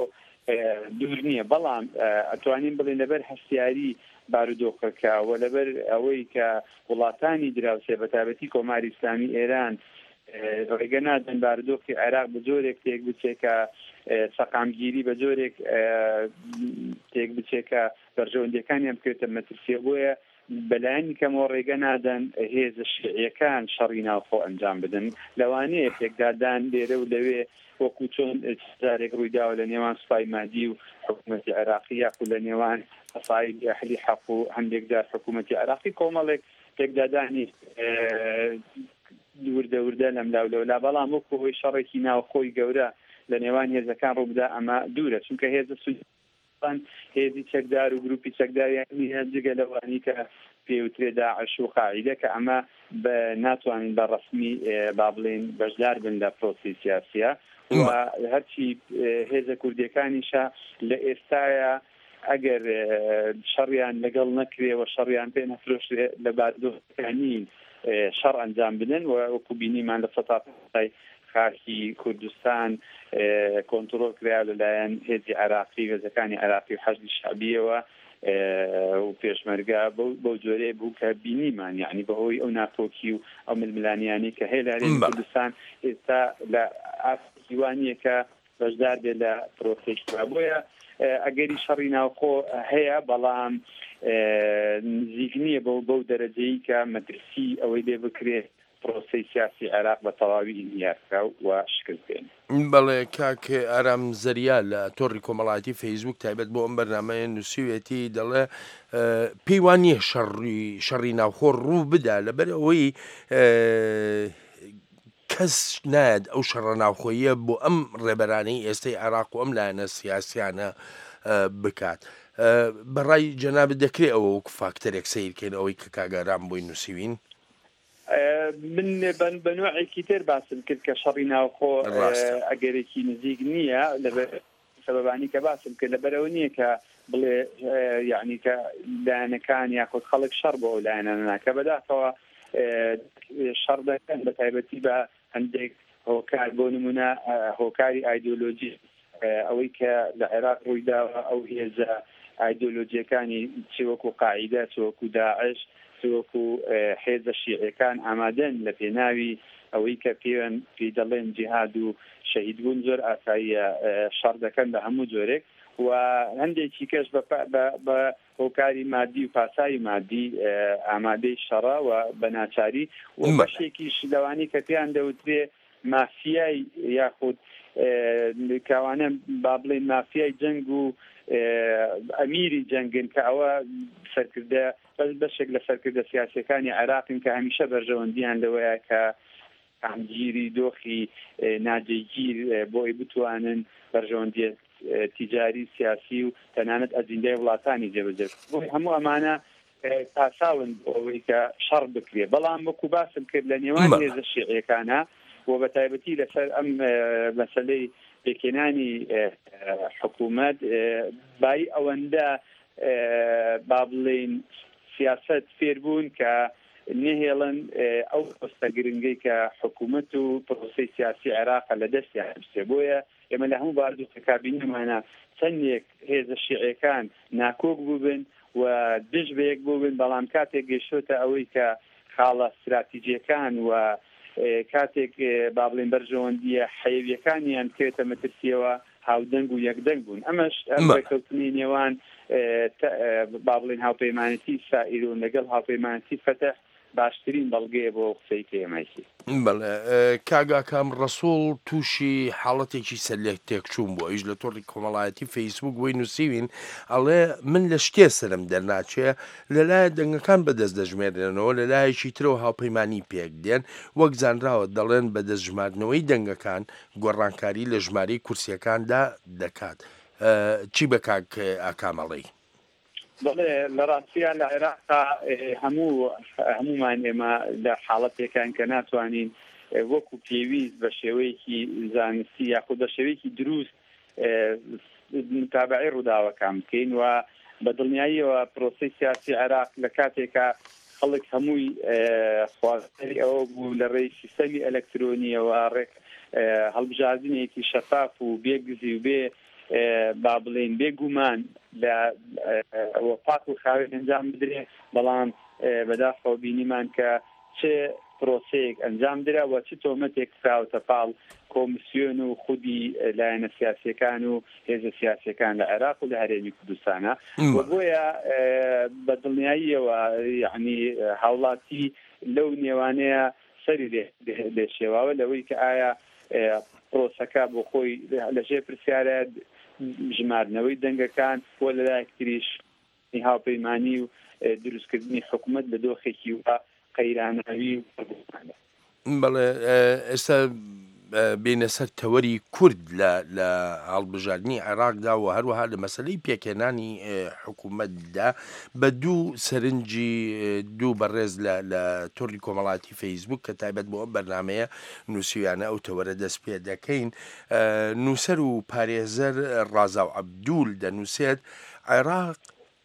دوور نییە، بەڵام ئەتوانین بڵێن لەبەر هەستیاری بارودۆخەکە و لەبەر ئەوەی کە وڵاتانی دراوسێ بە تایبەتی کۆماری ئیسلامی ئێران ڕێگە نادەن بارودۆخی عێراق بە جۆرێک تێک بچێت کە سەقامگیری بە جۆرێک تێک بچێت کە بەرژەوەندیەکانیان بکرێتە مەترسیە، بۆیە بەلایەنی کەمەوە ڕێگە نادەن هێزە شیعیەکان شەڕی ناوخۆ ئەنجام بدەن. لەوانەیە پێکدادان لێرە و لەوێ وەکو چۆن جارێک ڕوویداوە لە نێوان سوپای مادی و حکوومەتی عێراقی یاخود لە نێوان عەسائیبی ئەهلی حەق و هەندێک جار حکوومەتی عێراقی، کۆمەڵێک پێکدادانی وردە وردە لەملا و لەولا، بەڵام وەکو هۆی شەڕێکی ناوخۆی گەورە لە نێوان هێزەکان ڕووبدا ئەمە دوورە، چونکە هێزە سونیەکان هێزی چەکدار و گروپی چەکداریان نییە جگە لەوانی کە پێوترێ داعش و قاعیدە، کە ئەمە بە ناتوانن بە ڕەسمی با بڵێن بەشدار بن لە پرۆسەی سیاسیە. و هەرچی هێزە کوردیەکانیشە لە ئێستاە ئەگەر شەڕیان لەگەڵ نەکرێ و شەڕیان پێ نەفرۆشرێ لە بارودۆخەکانی شەڕ ئەنجام بدەن و وەکو بینیمان لە سەتا پەنجای خاکی کوردستان کۆنترۆڵ کرا لەلایەن هێزی عێراقی، هێزەکانی عێراقی و حەشدی شەعبیەوە و پێشمەرگە بەو جۆرەیە بوو کە بینیمان، یعنی بەهۆی ئەو ناکۆکی و ئەو ململانیانەی کە هەیە لە هەرێمی کوردستان ئێستا لە ئاستێکی وا نییە کە بەشدار بێت لە پرۆسەی. بۆیە ئەگەری شەڕی ناوخۆ هەیە، بەڵام نزیک نییە بەو بەو دەرەجەیە کە مەترسی ئەوەی لێ بکرێت پرۆسەی سیاسی عێراق بە تەواوی ئینهیار بکا و شکست بێنێ. بەڵێ کاک ئارام زەریا لە تۆڕی کۆمەڵایەتی فەیسبوک تایبەت بۆ ئەم بەرنامەیە نووسیوێتی، دەڵێ پێی وا نییە شەڕی شەڕی ناوخۆ ڕوو بدا، لەبەر ئەوەی کەس نایەت ئەو شەڕە ناوخۆییە بۆ ئەم ڕێبەرانەی ئێستەی عێراق و ئەم لایەنە سیاسیانە بکات. بەڕای جەنابت دەکرێت ئەوە وەکو فاکتەرێک سەیرکەین ئەوەی کە کاک ئارام بۆی نووسیوین؟ من بە نوعێکی تر باسم کرد کە شەڕی ناوخۆ ئەگەرێکی نزیک نییە، لەبەر سەبەبانی کە باسم کرد، لەبەرەوە نییە کە بڵێ یعنی کە لایەنەکان یاخود خەڵک شەڕ بۆ ئەو لایەنانە ناکە. بەداخەوە شەڕ دەکەن بە تایبەتی بە هەندێک هۆکار، بۆ نمونە هۆکاری ئایدۆلۆژی، ئەوەی کە لە عێراق ڕوویداوە ئەو هێزە ئایدۆلۆژیەکانی چ وەکو قاعیدە، چ وەکو داعش، چ وەکو حێزە شیعیەکان ئامادەن لە پێناوی ئەوەی کە پێیان پێی دەڵێن جیهاد و شەهیدبوون زۆر ئاساییە شەڕ دەکەن بە هەموو جۆرێک، و هەندێکی کەش بە هۆکاری مادی و پاساوی مادی ئامادەی شەڕە و بە ناچاری، و بەشێکیش لەوانەی کە پێیان دەوترێ مافیای یاخود کاوانە با بڵێن مافیای جەنگ و ئەمیری جەنگن، کە ئەوە سەرکردە بەشێک لە سەرکردە سیاسیەکانی عێراقن کە هەمیشە بەرژەوەندیان لەوەیە کە ئامگیری دۆخی ناجێگیر بۆی بتوانن بەرژەوەندیە تیجاری سیاسی و تەنانەت ئەجیندای وڵاتانی جێبەجێ. بۆی هەموو ئەمانە پاساون بۆ ئەوەی کە شەڕ بکرێ. بەڵام وەکو باسم کرد لە نێوان هێزە شیعیەکانە و بە تایبەتی لەسەر ئەم مەسلەی پێکهێنانی حکوومەت بای ئەوەندە با بڵێین سیاست فێربوون کە نهێڵن ئەو پۆستە گرنگەی کە حکوومەت و پرۆسەی سیاسی عێراق لە دەستیان بچێ. بۆیە ئێمە لە هەموو بارودۆخە کابینەمانە چەندێک هێزە شیعیەکان ناکۆک بووبن و دژ بە یەک بووبن، بەڵام کاتێک گەیشتۆتە ئەوەی کە خاڵە استراتیژیەکان و کاتێک با بڵێن بەرژەوەندیە حەیویەکانیان بکەوێتە مەترسیەوە هاودەنگ و یەکدەنگ بوون. ئەمەش ئەم ڕێککەوتنی نێوان با بڵێن هاوپەیمانەتی سائیرون لەگەڵ هاوپەیمانەتی فەتح باشترین بەڵگەیە بۆ قسەی کە ئێمەیکی. بەڵێ کاک ئاکام ڕەسوڵ تووشی حاڵەتێکی سەرلێک تێکچوون بوو، ئەویش لە تۆڕی کۆمەڵایەتی فەیسبوک بۆی نووسیوین، ئەڵێ من لە شتێ سەرم دەرناچێ، لەلایە دەنگەکان بەدەست دەژمێرێنەوە، لەلایەکی ترەوە هاوپەیمانی پێک دێن، وەک زانراوە دەڵێن بەدەست ژماردنەوەی دەنگەکان گۆڕانکاری لە ژمارەی کورسیەکاندا دەکات. چی بە کاک ئاکام ئەڵێی؟ بەڵێ لە ڕاستیە لە عێراقا هەموو هەمومان ئێمە لە حاڵەتێکان کە ناتوانین وەکو پێویست بە شێوەیەکی زانستی یاخود بە شێوەیەکی دروست متابعەی ڕووداوەکان بکەین و بە دڵنیاییەوە پرۆسەی سیاسی عێراق لە کاتێکا خەڵک هەمووی خوازیاری ئەوە بوو لە ڕێی سیستەمی ئەلکترۆنیەوە ڕێک هەڵبژاردنێکی شەفاف و بێگزی و بێ با بڵێن بێگومان لە پاک و خاوێن ئەنجام بدرێ، بەڵام بەداخەوە بینیمان کە چ پرۆسەیەک ئەنجام درا و چ تۆمەتێک خراوەتە پاڵ کۆمیسیۆن و خودی لایەنە سیاسیەکان و هێزە سیاسیەکان لە عێراق و لە هەرێمی کوردستانە. و بۆیە بە دڵنیاییەوە یعنی هاوڵاتی لەو نێوانەیە سەری لێ شێواوە لەوەی کە ئایا پرۆسەکە بۆ خۆی لەژێر پرسیارە ژماردنەوەی دەنگەکان و لەلایەک تریش هاوپەیمانی و دروستکردنی حکوومەت لە دۆخێکی و قەیراناوی و پرگومانە. بەڵێ ئێستا بینە سەر تەوەری کورد لە هەڵبژاردنی عێراقدا و هەروەها لە مەسلەی پێکهێنانی حکوومەتدا بە دوو سەرنجی دوو بەڕێز لە تۆڕی کۆمەڵاتی فەیسبوک کە تایبەت بۆ ئەم بەرنمەیە نووسیویانە ئەو تەوەرە دەست پێ دەکەین. نووسەر و پارێزەر ڕازاو عەبدول دەنووسێت عێراق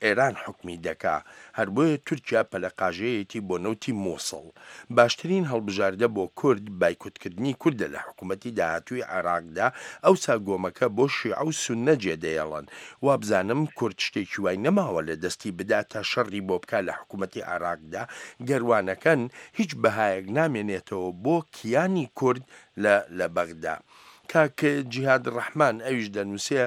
ئێران حکمی دەکا، هەر بۆیە تورکیا پەلەقاژەیەتی بۆ نەوتی مووسڵ. باشترین هەڵبژاردە بۆ کورد بایکۆتکردنی کوردە لە حکوومەتی داهاتووی عێراقدا، ئەوسا گۆمەکە بۆ شیعە و سوننە جێدەیەڵن. وابزانم کورد شتێکی وای نەماوە لە دەستی بدا تا شەڕی بۆ بکا لە حکوومەتی عێراقدا، گەروانەکەن هیچ بەهایەک نامێنێتەوە بۆ کیانی کورد لە لە بەغدا. کاک جیهاد ڕەحمان ئەویش دەنووسێ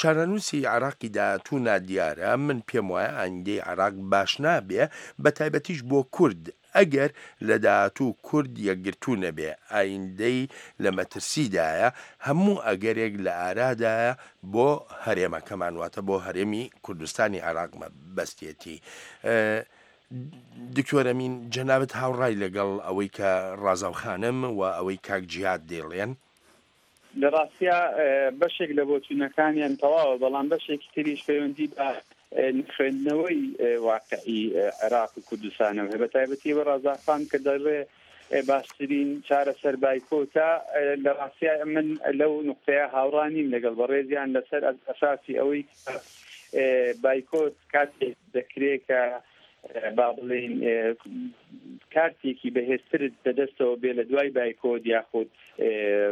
چارەنووسی عێراقی داهاتوو نادیارە، من پێم وایە ئایندەی عێراق باش نابێ، بە تایبەتیش بۆ کورد ئەگەر لە داهاتوو کورد یەکگرتوو نەبێ، ئایندەی لە مەترسیدایە، هەموو ئەگەرێک لە ئارادایە بۆ هەرێمەکەمان، واتە بۆ هەرێمی کوردستانی عێراق بەستێتی. دکتۆر ئەمین جەنابت هاوڕای لەگەڵ ئەوەی کە ڕازاو خانم و ئەوەی کاک جیهاد دەیڵێن؟ لە ڕاستیا بەشێک لە بۆچوونەکانیان تەواوە، بەڵام بەشێکی تریش پەیوەندی بە خوێندنەوەی واقعی عێراق و کوردستانەوە هەیە، بە تایبەتی بە ڕازاخان کە دەڵێ باشترین چارەسەر بایکۆتە. لە ڕاستیا من لەو نقطەیە هاوڕا نیم لەگەڵ بەڕێزیان لەسەر ئەساسی ئەوەی بایکۆت کاتێک دەکرێت کە با بڵێین کارتێکی بەهێزترت بەدەستەوە بێ لە دوای بایکۆت، یاخود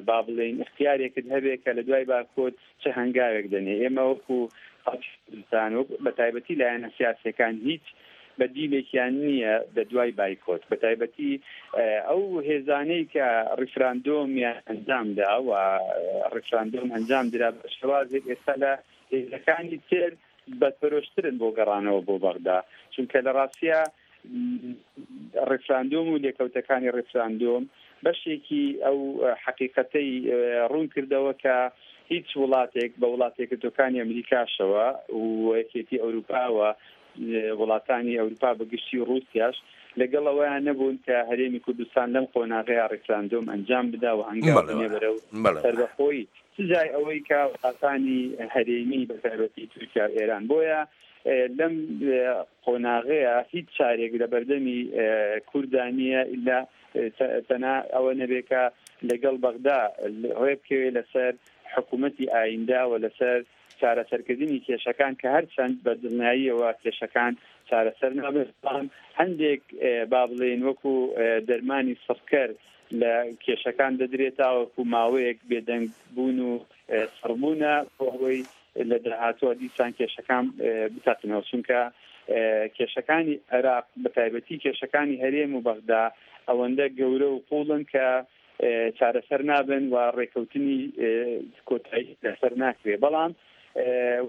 با بڵێین اختیارێکت هەبێ کە لە دوای بایکۆت چه هەنگاوێک دەنێ. ئێمە وەکو خەڵکی کوردستان و بە تایبەتی لایەنە سیاسیەکان هیچ بەدیلێکیان نییە لە دوای بایکۆت، بە تایبەتی ئەو هێزانەی کە ڕیفراندۆمیان ئەنجامدا و ڕیفراندۆم ئەنجام درا بە شێوازێک ئێستا لە هێزەکانی تر بەپەرۆشترن بۆ گەڕانەوە بۆ بەغدا، چونکە لە ڕاستیا ڕیفراندۆم و لێکەوتەکانی ڕیفراندۆم بەشێکی ئەو حەقیقەتەی ڕوون کردەوە کە هیچ وڵاتێک بە وڵاتێکردەکانی ئەمریکاشەوە و یەکێتی ئەوروپاوە وڵاتانی ئەوروپا بەگشتی و ڕووسیاش لەگەڵ ئەوەیان نەبوون کە هەرێمی کوردستان لەم قۆناغەیە ڕیفراندۆم ئەنجام بدا و هەنگاو بنێ بەرەو سەربەخۆیی، سجای ئەوەی کە وڵاتانی هەرێمی بە تایبەتی تورکیا و ئێران. بۆیە لەم قۆناغەیە هیچ چارێک لە بەردەمی کووردا نییە ئیلا تەنها ئەوە نەبێ کە لەگەڵ بەغدا ڕێ بکەوێ لەسەر حکوومەتی ئایندە و لەسەر چارەسەرکردنی کێشەکان، کە هەرچەند بە دڵنیاییەوە کێشەکان چارەسەر نابن، بەڵام هەندێک با بڵێین وەکو دەرمانی سڕکەر لە کێشەکان دەدرێت تاوەکو ماوەیەک بێدەنگ بوون و سڕبوونە بۆ ئەوەی لە داهاتووە دیسان کێشەکان بتەقنەوە، چونکە کێشەکانی عێراق بە تایبەتی کێشەکانی هەرێم و بەغدا ئەوەندە گەورە و قوڵن کە چارەسەر نابن و ڕێکەوتنی کۆتایی لەسەر ناکرێت. بەڵام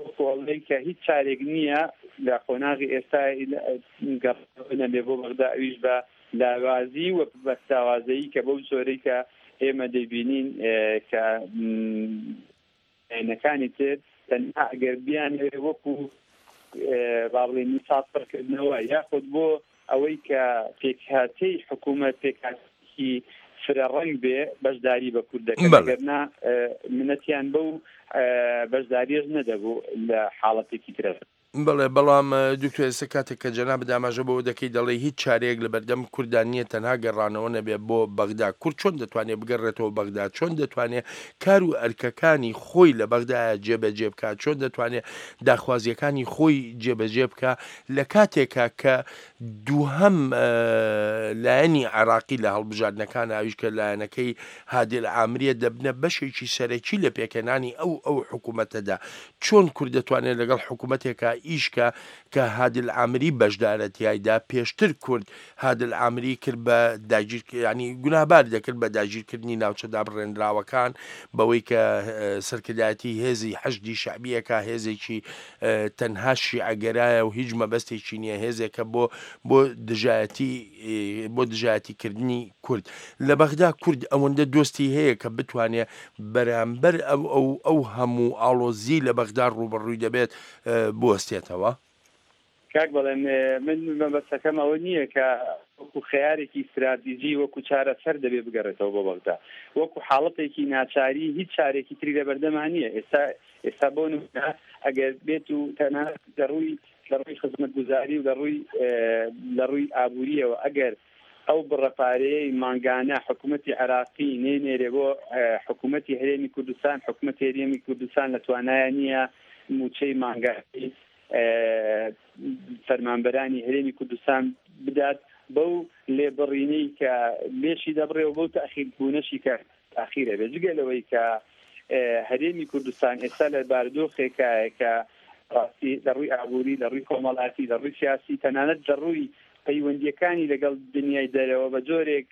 وەکو ئەڵێن کە هیچ چارێک نییە لە قۆناغی ئێستا گەڕانەوە نەبێ بۆ بەغدا، ئەویش بە لاوازی و بە لاوازەیی کە بەو جۆرەی کە ئێمە دەیبینین کە لایەنەکانی تر تەنها ئەگەر بیانەوێ وەکو با بڵێین نیساب پڕکردنەوە یاخود بۆ ئەوەی کە پێکهاتەی حکوومەت پێکهاتێکی فرە ڕەنگ بێ بەشداری بە کورد دەکەن، ئەگەرنا منەتیان بەو بەشداریش نەدەبوو لە حاڵەتێکی ترە. بەڵێ، بەڵام دکتۆر ئێستا کاتێک کە جەنابت ئاماژە بەوە دەکەی دەڵێ هیچ چارەیەک لە بەردەم کوردان نییە تەنها گەڕانەوە نەبێ بۆ بەغدا، کورد چۆن دەتوانێت بگەڕێتەوە بەغدا؟ چۆن دەتوانێت کار و ئەرکەکانی خۆی لە بەغدایە جێبەجێ بکات؟ چۆن دەتوانێت داخوازیەکانی خۆی جێبەجێ بکات لە کاتێکا کە دووهەم لایەنی عێراقی لە هەڵبژاردنەکان ئەویش کە لایەنەکەی هادی العامریە دەبنە بەشێکی سەرەکی لە پێکهێنانی ئەو ئەو حکوومەتەدا؟ چۆن کورد دەتوانێت لەگەڵ حکوومەتێکا ئیشکە کە هادی العامری بەشدارە تیایدا؟ پێشتر کورد هادی العامری کرد بە داگیر، ینی گوناهبار دەکرد بە داگیرکردنی ناوچە دابڕێنراوەکان، بەوەی کە سەرکردایەتی هێزی حەشدی شەعبیەکە هێزێکی تەنها شیعەگەرایە و هیچ مەبەستێکی نییە، هێزێکە بۆ بۆ دژایەتی بۆ دژایەتیکردنی کورد. لە بەغدا کورد ئەوەندە دۆستی هەیە کە بتوانێت بەرامبەر ئەو ئەو ئەو هەموو ئاڵۆزی لە بەغدا ڕووبەڕووی دەبێت بوەستێتەوە؟ کاک بەڵێن، من مەبەستەکەم ئەوە نییە کە وەکو خەیارێکی استراتیژی وەکو چارەسەر دەبێ بگەڕێتەوە بۆ بەغدا، وەکو حاڵەتێکی ناچاری هیچ چارێکی تری لەبەردەما نییە. ئێستا ئێستا بۆ نمونە ئەگەر بێت و تەنها لە ڕووی لە ڕووی خزمەتگوزاری و لە ڕووی لە ڕووی ئابووریەوە ئەگەر ئەو بڕە پارەیەی مانگانە حکوومەتی عێراقی نەینێرێ بۆ حکوومەتی هەرێمی کوردستان، حکوومەتی هەرێمی کوردستان لە توانایە نییە موچەی مانگانەی فەرمانبەرانی هەرێمی کوردستان بدات بەو لێبڕینەی کە لێشی دەبڕێ و بەو تەئخیربوونەشی کە تاخیرە بێت. جگە لەوەی کە هەرێمی کوردستان ئێستا لە بارودۆخێکایە کە ڕاستی لە ڕووی ئابووری، لە ڕووی کۆمەڵاتی، لە ڕووی سیاسی، تەنانەت لە ڕووی پەیوەندیەکانی لەگەڵ دنیای دەرەوە بە جۆرێک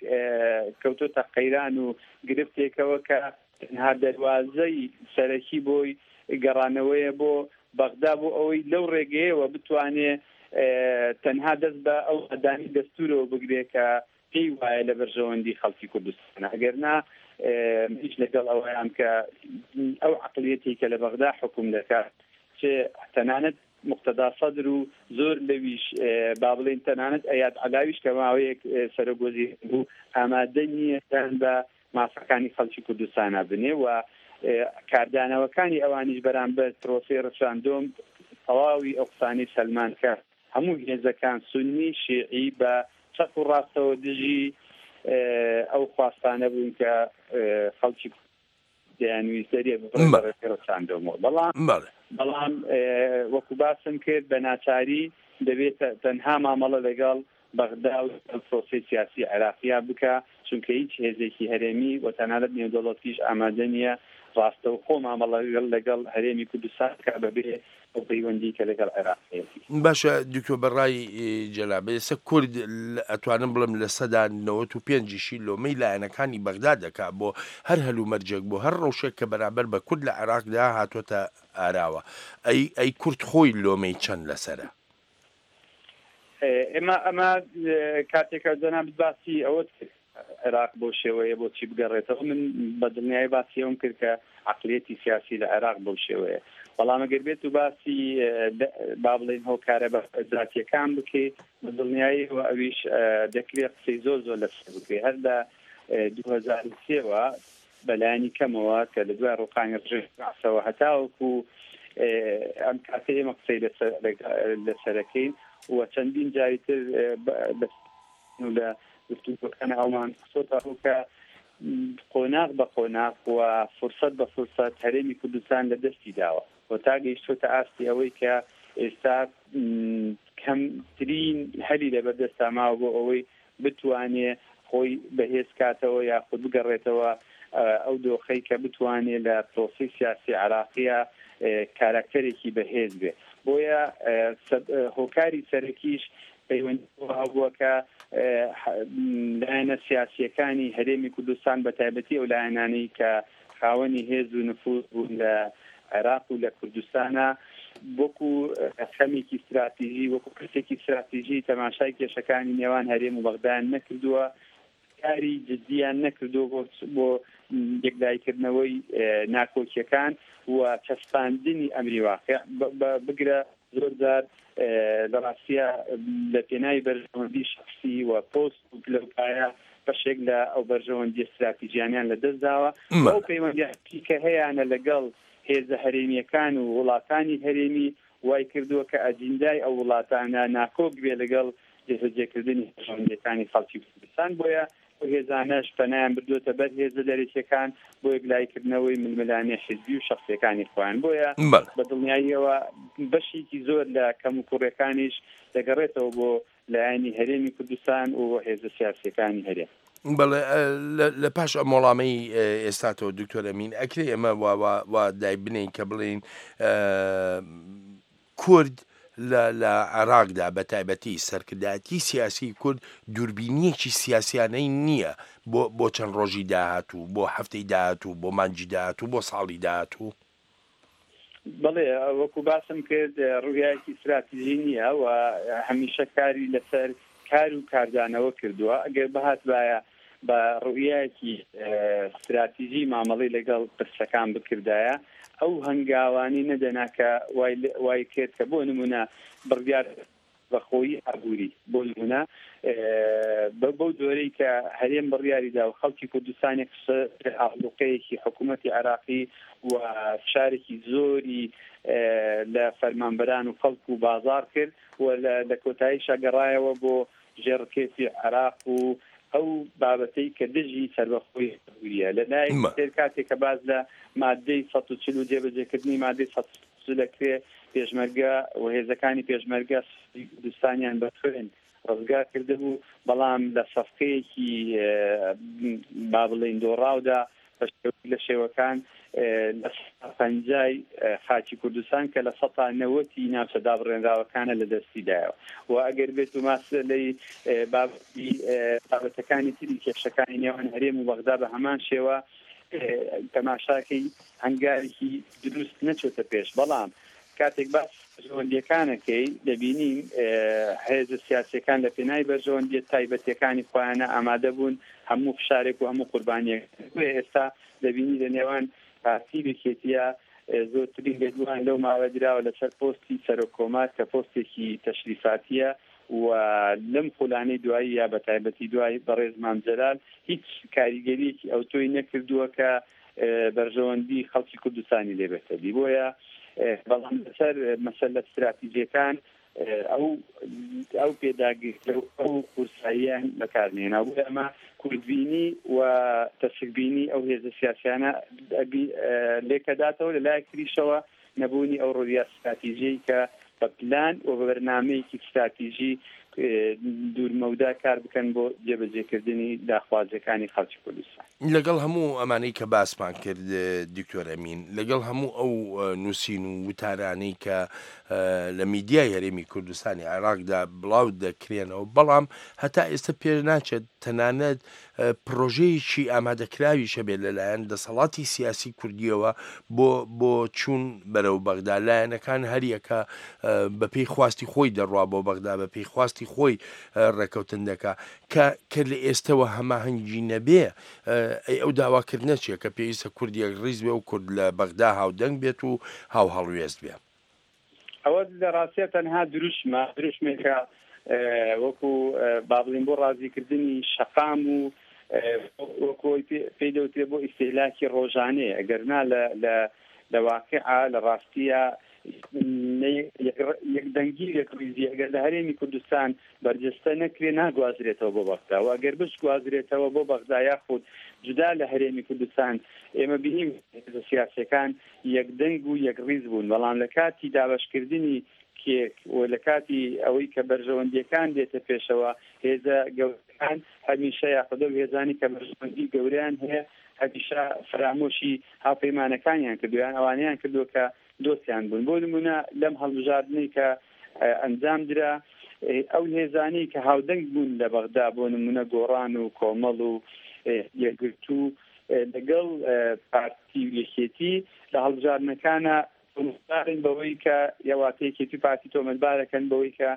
کەوتۆتە قەیران و گرفتێکەوە کە تەنها دەروازەی سەرەکی بۆی گەڕانەوەیە بۆ بەغدا بۆ ئەوەی لەو ڕێگەیەوە بتوانێ تەنها دەست بە ئەو ئەدانی دەستورەوە بگرێت کە پێی وایە لە بەرژەوەندی خەڵکی کوردستانە. ئەگەرنا هیچ لەگەڵ ئەوەیان کە ئەو عەقڵیەتی کە لە بەغدا حکوم دەکات، چ تەنانەت مقتەدا سەدر و زۆر لەویش با بڵێین تەنانەت ئەیاد عەلاویش کە ماوەیەک سەرۆک وەزیر بوو ئامادە نییە دان بە مافەکانی خەڵکی کوردستانە بنێ و کاردانەوەکانی ئەوانیش بەرامبەر پرۆسەی ڕفراندۆم تەواوی ئەو قسانەی سەلمان کە هەموو هێزەکان سوننی شیعی بە چەپ و ڕاستەوە دژی ئەو خواستانە بوون کە خەڵکی دەیانویست دەریە ببڕێت بە ڕێگەی ڕفراندۆمەوە. بەڵام بەڵام وەکو باسم کرد بە ناچاری دەبێت تەنها مامەڵە لەگەڵ بەغدا و پرۆسەی سیاسی عێراقیا بکە، چونکە هیچ هێزێکی هەرێمی و تەنانەت نێودەوڵەتیش ئامادە نییە ڕاستەوخۆ مامەڵە لەگەڵ هەرێمی کوردستان بکە بەبێ ئەو پەیوەندی کە لەگەڵ عێراق هەیەتی. باشە دکتۆر، بەڕای جەنابت ئێستا کورد ئەتوانم بڵێم لە سەدا نەوەت و پێنجیشی لۆمەی لایەنەکانی بەغدا دەکا بۆ هەر هەلومەرجێک، بۆ هەر ڕەوشێک کە بەرامبەر بە کورد لە عێراقدا هاتۆتە ئاراوە. ئەی ئەی کورد خۆی لۆمەی چەند لەسەرە؟ ئێمە ئەمە کاتێکە جەنابت باسی ئەوەت کرد عێراق بۆ شێوەیە بۆچی بگەڕێتەوە، من بە دڵنیایی باسی ئەوم کرد کە عەقلیەتی سیاسی لە عێراق بەو شێوەیە. بەڵام ئەگەر بێت و باسی با بڵێین هۆکارە زاتیەکان بکەیت، بە دڵنیایی و ئەویش دەکرێت قسەی زۆر زۆر لەسەر بکرێت. هەر لە دوو هەزار و سێوە بەلایەنی کەمەوە کە لە دوای ڕووخانی ڕژێمی بەعسەوە هەتاوەکو ئەم کاتە ئێمە قسەی لەسەرەکەین و چەندین جاری تر لە گفتوگۆکان ئەومان خستۆتە کە قۆناغ بە قۆناغ و فرسەت بە فرسەت هەرێمی کوردستان لە دەستی داوە و تا گەیشتۆتە ئاستی ئەوەی کە ئێستا کەمترین هەلی لەبەردەستا ماوە بۆ ئەوەی بتوانێ خۆی بەهێز کاتەوە یاخود بگەڕێتەوە ئەو دۆخەی کە بتوانێت لە پرۆسەی سیاسی عێراقیە کاراکتەرێکی بەهێز بێ. بۆیە هۆکاری سەرەکیش پەیوەندی هەبووە کە لایەنە سیاسیەکانی هەرێمی کوردستان بە تایبەتی ئەو لایەنانەی کە خاوەنی هێز و نفوذ بوون لە عێراق و لە کوردستانە وەکو خەمێکی استراتیژی، وەکو پرسێکی استراتیژی تەماشای کێشەکانی نێوان هەرێم و بەغدایان نەکردووە، کاری جدیان نەکردووە بۆ یەکلاییکردنەوەی ناکۆکیەکان و چەسپاندنی ئەمری واقع. بگرە زۆر جار لە ڕاستیە لە پێناوی بەرژەوەندی شخصی و پۆست و پلەوپایە بەشێک لە ئەو بەرژەوەندی استراتیژیانیان لەدەست داوە. ئەو پەیوەندیی کە هەیانە لەگەڵ هێزە هەرێمیەکان و وڵاتانی هەرێمی وای کردووە کە ئەجیندای ئەو وڵاتانە ناکۆک بێ لەگەڵ جێبەجێکردنی بەرژەوەندیەکانی خەڵکی کوردستان. بۆیە ئەو هێزانەش پەنایان بردووەتە بەر هێزە دەرەکیەکان بۆ یەکلاییکردنەوەی ململانێ حیزبی و شخصیەکانی خۆیان. بۆیە بە دڵنیاییەوە بەشێکی زۆر لە کەموکوڕیەکانیش دەگەڕێتەوە بۆ لایەنی هەرێمی کوردستان و هێزە سیاسیەکانی هەرێم. بەڵێ لە پاش ئەم وەڵامەی ئێستاتەوە دکتۆر ئەمین، ئەکرێ ئێمە وا دای بنین کە بڵێین کورد لە عێراقدا بە تایبەتی سەرکردایەتی سیاسی کورد دووربینیەکی سیاسیانەی نییە بۆ بۆ چەند ڕۆژی داهاتوو، بۆ هەفتەی داهاتوو، بۆ مانگی داهاتوو، بۆ ساڵی داهاتوو؟ بەڵێ وەکو باسم کرد ڕوویایەکی استراتیژی نییە و هەمیشە کاری لەسەر کار و کاردانەوە کردووە. ئەگەر بهاتبایە بە ڕوویایەکی استراتیژی مامەڵەی لەگەڵ پرسەکان بکردایە، ئەو هەنگاوانی نەدەنا کە وای کرد کە بۆ نمونە بڕیار بەخۆیی ئابووری، بۆ نمونە بەو جۆرەی کە هەرێم بڕیاریدا و خەڵکی کوردستانی ئاڵوقەیەکی حکوومەتی عێراقی و فشارێکی زۆری لە فەرمانبەران و خەڵک و بازار کرد و لە کۆتاییشا گەڕایەوە بۆ ژێڕکێفی عێراق و ئەو بابەتەی کە دژی سەربەخۆی ئابووریە. لە لای تر کاتێک کە باز لە مادەی سەد و چل و جێبەجێکردنی مادەی سەد و چل دەکرێ، پێشمەرگە و هێزەکانی پێشمەرگە کوردستانیان بە خوێن ڕزگار کردبوو، بەڵام لە سەفقەیەکی با بڵێین دۆڕاودا بە شێوەیەک لە شێوەکان لە پەنجای خاکی کوردستان کە لە سەتا نەوەتی ناوچە دابڕێنراوەکانە لە دەستی دایەوە. و ئەگەر بێت و ماسەلەی بابەتەکانی تری کێشەکانی نێوان هەرێم و بەغدا بە هەمان شێوە تەماشاکەی هەنگاوێکی دروست نەچۆتە پێش. بەڵام کاتێک باس بەرژەوەندیەکانەکەی دەبینین هێزە سیاسیەکان لە پێناوی بەرژەوەندیە تایبەتیەکانی خۆیانە ئامادە بوون هەموو فشارێک و هەموو قوربانیەک. ئێستا دەبینی لە نێوان پارتی و یەکێتیە زۆرترین لێدوان لەو ماوە دراوە لەسەر پۆستی سەرۆک کۆمار کە پۆستێکی تەشریفاتیە و لەم خولانەی دوایی یا بە تایبەتی دوای بەڕێز مام جەلال هیچ کاریگەریەکی ئەوتۆی نەکردووە کە بەرژەوەندی خەڵکی کوردستانی لێبێتە دی. بۆیە بەڵام لەسەر مەسەلە ستراتیژیەکان ئەو ئەو پێداگری ئەو قورساییان بەکارنێنا. بۆیە ئەمە کوردبینی و تەسکبینی ئەو هێزە سیاسیانە لێکەداتەوە، لە لایەک تریشەوە نەبوونی ئەو ڕۆیە ستراتیژیی کە بە پلان و بە بەرنامەیەکی ستراتیژی دوورمەودا کار بکەن بۆ جێبەجێکردنی داخوازیەکانی خەڵکی کوردستان. لەگەڵ هەموو ئەمانەی کە باسمان کرد دکتۆر ئەمین، لەگەڵ هەموو ئەو نووسین و وتارانەی کە لە میدیای هەرێمی کوردستانی عێراقدا بڵاو دەکرێنەوە، بەڵام هەتا ئێستا پێش ناچێت تەنانەت پرۆژەیەکی ئامادەکراویش هەبێت لەلایەن دەسەڵاتی سیاسی کوردیەوە بۆ بۆ چوون بەرەو بەغدا. لایەنەکان هەریەکە بەپێی خواستی خۆی دەڕوا بۆ بەغدا، بەپێی خواستی خۆی ڕێکەوتن دەکا کە کە لە ئێستەوە هەماهەنگی نەبێ، ئەی ئەو داواکردنە چییە کە پێویستە کورد یەکڕیز بێ و کورد لە بەغدا هاودەنگ بێت و هاوهەڵوێست بێ؟ ئەوە لە ڕاستیە تەنها دروشمە، دروشمێکە وەکو با بڵێین بۆ ڕازیکردنی شەقام و وەکو پێی دەوترێ بۆ ئیستیهلاکی ڕۆژانەیە. ئەگەر نا لە واقعە لە ڕاستیە یەکدەنگی یەکڕیزی ئەگەر لە هەرێمی کوردستان بەرجەستە نەکرێ ناگوازرێتەوە بۆ بەغدا، و ئەگەر بشگوازرێتەوە بۆ بەغدا یاخود جودا لە هەرێمی کوردستان، ئێمە بینیم هێزە سیاسیەکان یەکدەنگ و یەکڕیز بوون، بەڵام لە کاتی دابەشکردنی کێک و لە کاتی ئەوەی کە بەرژەوەندیەکان دێتە پێشەوە، هێزە گەورەکان هەمیشە یاخود ئەو هێزانی کە بەرژەوەندی گەورەیان هەیە هەمیشە فەرامۆشی هاوپەیمانەکانیان کردو یان ئەوانەیان کردووە کە دۆستیان بوون. بۆ نمونە لەم هەڵبژاردنەی کە ئەنجام درا، ئەو هێزانەی کە هاودەنگ بوون لە بەغدا، بۆ نمونە گۆڕان و کۆمەڵ و یەکگرتوو لەگەڵ پارتی و یەکێتی لە هەڵبژاردنەکانە تۆمەتبارن بەوەی کە یاواتە یەکێتی پارتی تۆمەتبارەکەن بەوەی کە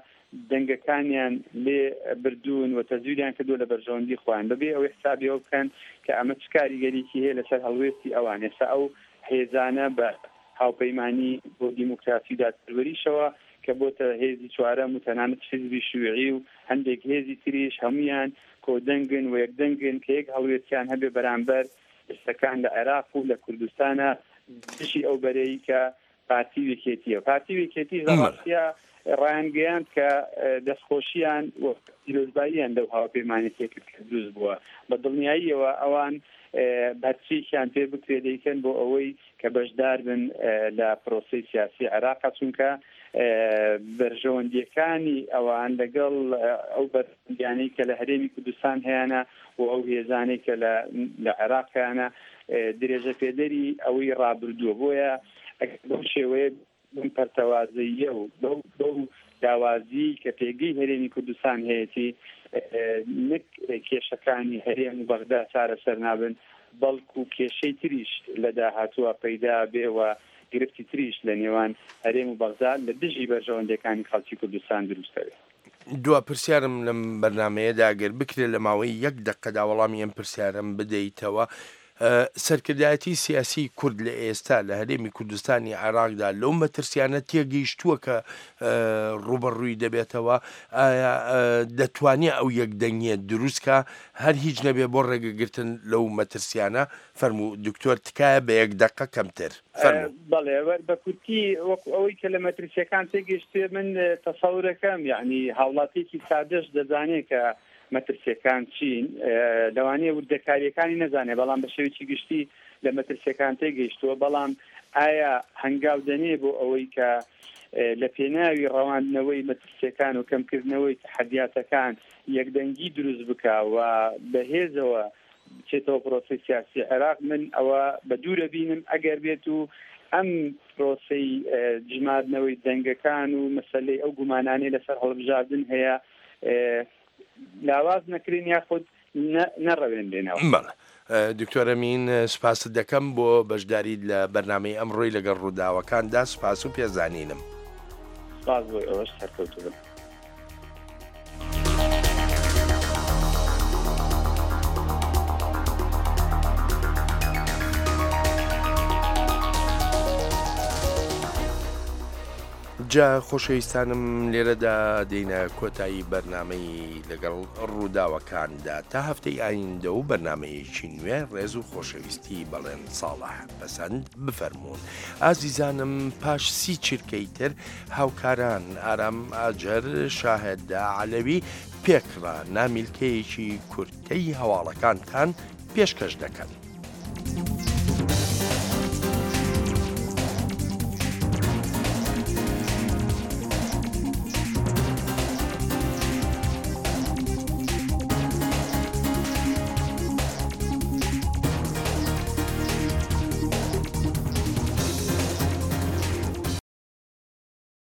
دەنگەکانیان لێ بردوون و تەزویریان کردووە لە بەرژەوەندی خۆیان، بەبێ ئەوەی حسابیەوە بکەن کە ئەمە چ کاریگەریکی هەیە لەسەر هەڵوێستی ئەوان. ئێستا ئەو هێزانە بە هاوپەیمانی بۆ دیموکراسی و دادپەروەریشەوە کە بۆتە هێزی چوارەم و تەنانەت حیزبی شیوعی و هەندێک هێزی تریش هەمویان کۆدەنگن و یەکدەنگن کە یەک هەڵوێستیان هەبێ بەرامبەر پرسەکان لە عێراق و لە کوردستانە دژی ئەو بەرەی کە پارتی و یەکێتیە. پارتی و یەکێتی ڕاستیە ڕایانگەیاند کە دەستخۆشیان و پیرۆزباییان لەو هاوپەیمانێتیە کرد کە دروست بووە. بە دڵنیاییەوە ئەوان بەرچییان پێ بکرێ دەیکەن بۆ ئەوەی کە بەشدار بن لە پرۆسەی سیاسی عێراق، چونکە بەرژەوەندیەکانی ئەوان لەگەڵ ئەو بەرژەوەندیانەی کە لە هەرێمی کوردستان هەیەە و ئەو هێزانەی کە لە عێراق هەیەە درێژە پێدەری ئەوەی ڕابردووە. بۆیە ئەگەر بەو شێوەیە بەم پەرتەوازەیە و بەو بەو داوازی کە پێگەی هەرێمی کوردستان هەیەتی، نەک کێشەکانی هەرێم و بەغدا چارەسەر نابن، بەڵکو کێشەی تریش لە داهاتووە پەیدا بێ و گرفتی تریش لە نێوان هەرێم و بەغدا لە دژی بەرژەوەندیەکانی خەڵکی کوردستان دروستەوێت. دوا پرسیارم لەم بەرنمەیەدا گەر بکرێت لە ماوەی یەک دقەدا وەڵامی ئەم پرسیارم بدەیتەوە، سەرکردایەتی سیاسی کورد لە ئێستا لە هەرێمی کوردستانی عێراقدا لەو مەترسیانە تێگەیشتووە کە ڕوبەڕووی دەبێتەوە، ئایا دەتوانێت ئەو یەکدەنگیە دروستکە هەر هیچ نەبێ بۆ ڕێگەگرتن لەو مەترسیانە؟ فەرموو دکتۆر تکایە بە یەک دقە کەمتر. فەرموو. بەڵێ، بە کورتی وەکو ئەوەی کە لە مەترسیەکان تێگەیشتێ من تەسەورەکەم، یعنی هاوڵاتیەکی سادەش دەزانێت کە مەترسیەکان چین، لەوانەیە وردەکاریەکانی نەزانێت، بەڵام بە شێوەیەکی گشتی لە مەترسیەکان تێگەیشتووە. بەڵام ئایا هەنگاو دەنێ بۆ ئەوەی کە لە پێناوی ڕەواندنەوەی مەترسیەکان و کەمکردنەوەی تەحەدیاتەکان یەکدەنگی دروست بکە و بەهێزەوە بچێتەوە پرۆسەی سیاسی عێراق؟ من ئەوە بە دوورە بینم ئەگەر بێت و ئەم پرۆسەی ژماردنەوەی دەنگەکان و مەسلەی ئەو گومانانەی لەسەر هەڵبژاردن هەیە لاواز نەکرێن یاخود نەڕەوێنرێنەوە. بەڵێ دکتۆر ئەمین، سوپاست دەکەم بۆ بەشداریت لە بەرنامەی ئەمڕۆی لەگەڵ ڕووداوەکاندا. سوپاس و پێزانینم. سوپاس بۆ ئەوەش، سەرکەوتوو بن. جا خۆشەویستانم لێرەدا دێینە کۆتایی بەرنامەی لەگەڵ ڕووداوەکاندا تا هەفتەی ئایندە و بەرنامەیەکی نوێ ڕێز و خۆشەویستی بەڵێن ساڵح پەسەند بفەرموون ئازیزانم پاش سی چرکەی تر هاوکاران ئارام ئاجەر شاهد عەلەوی پێکڕا نامیلکەیەکی کورتەی هەواڵەکانتان پێشکەش دەکەن.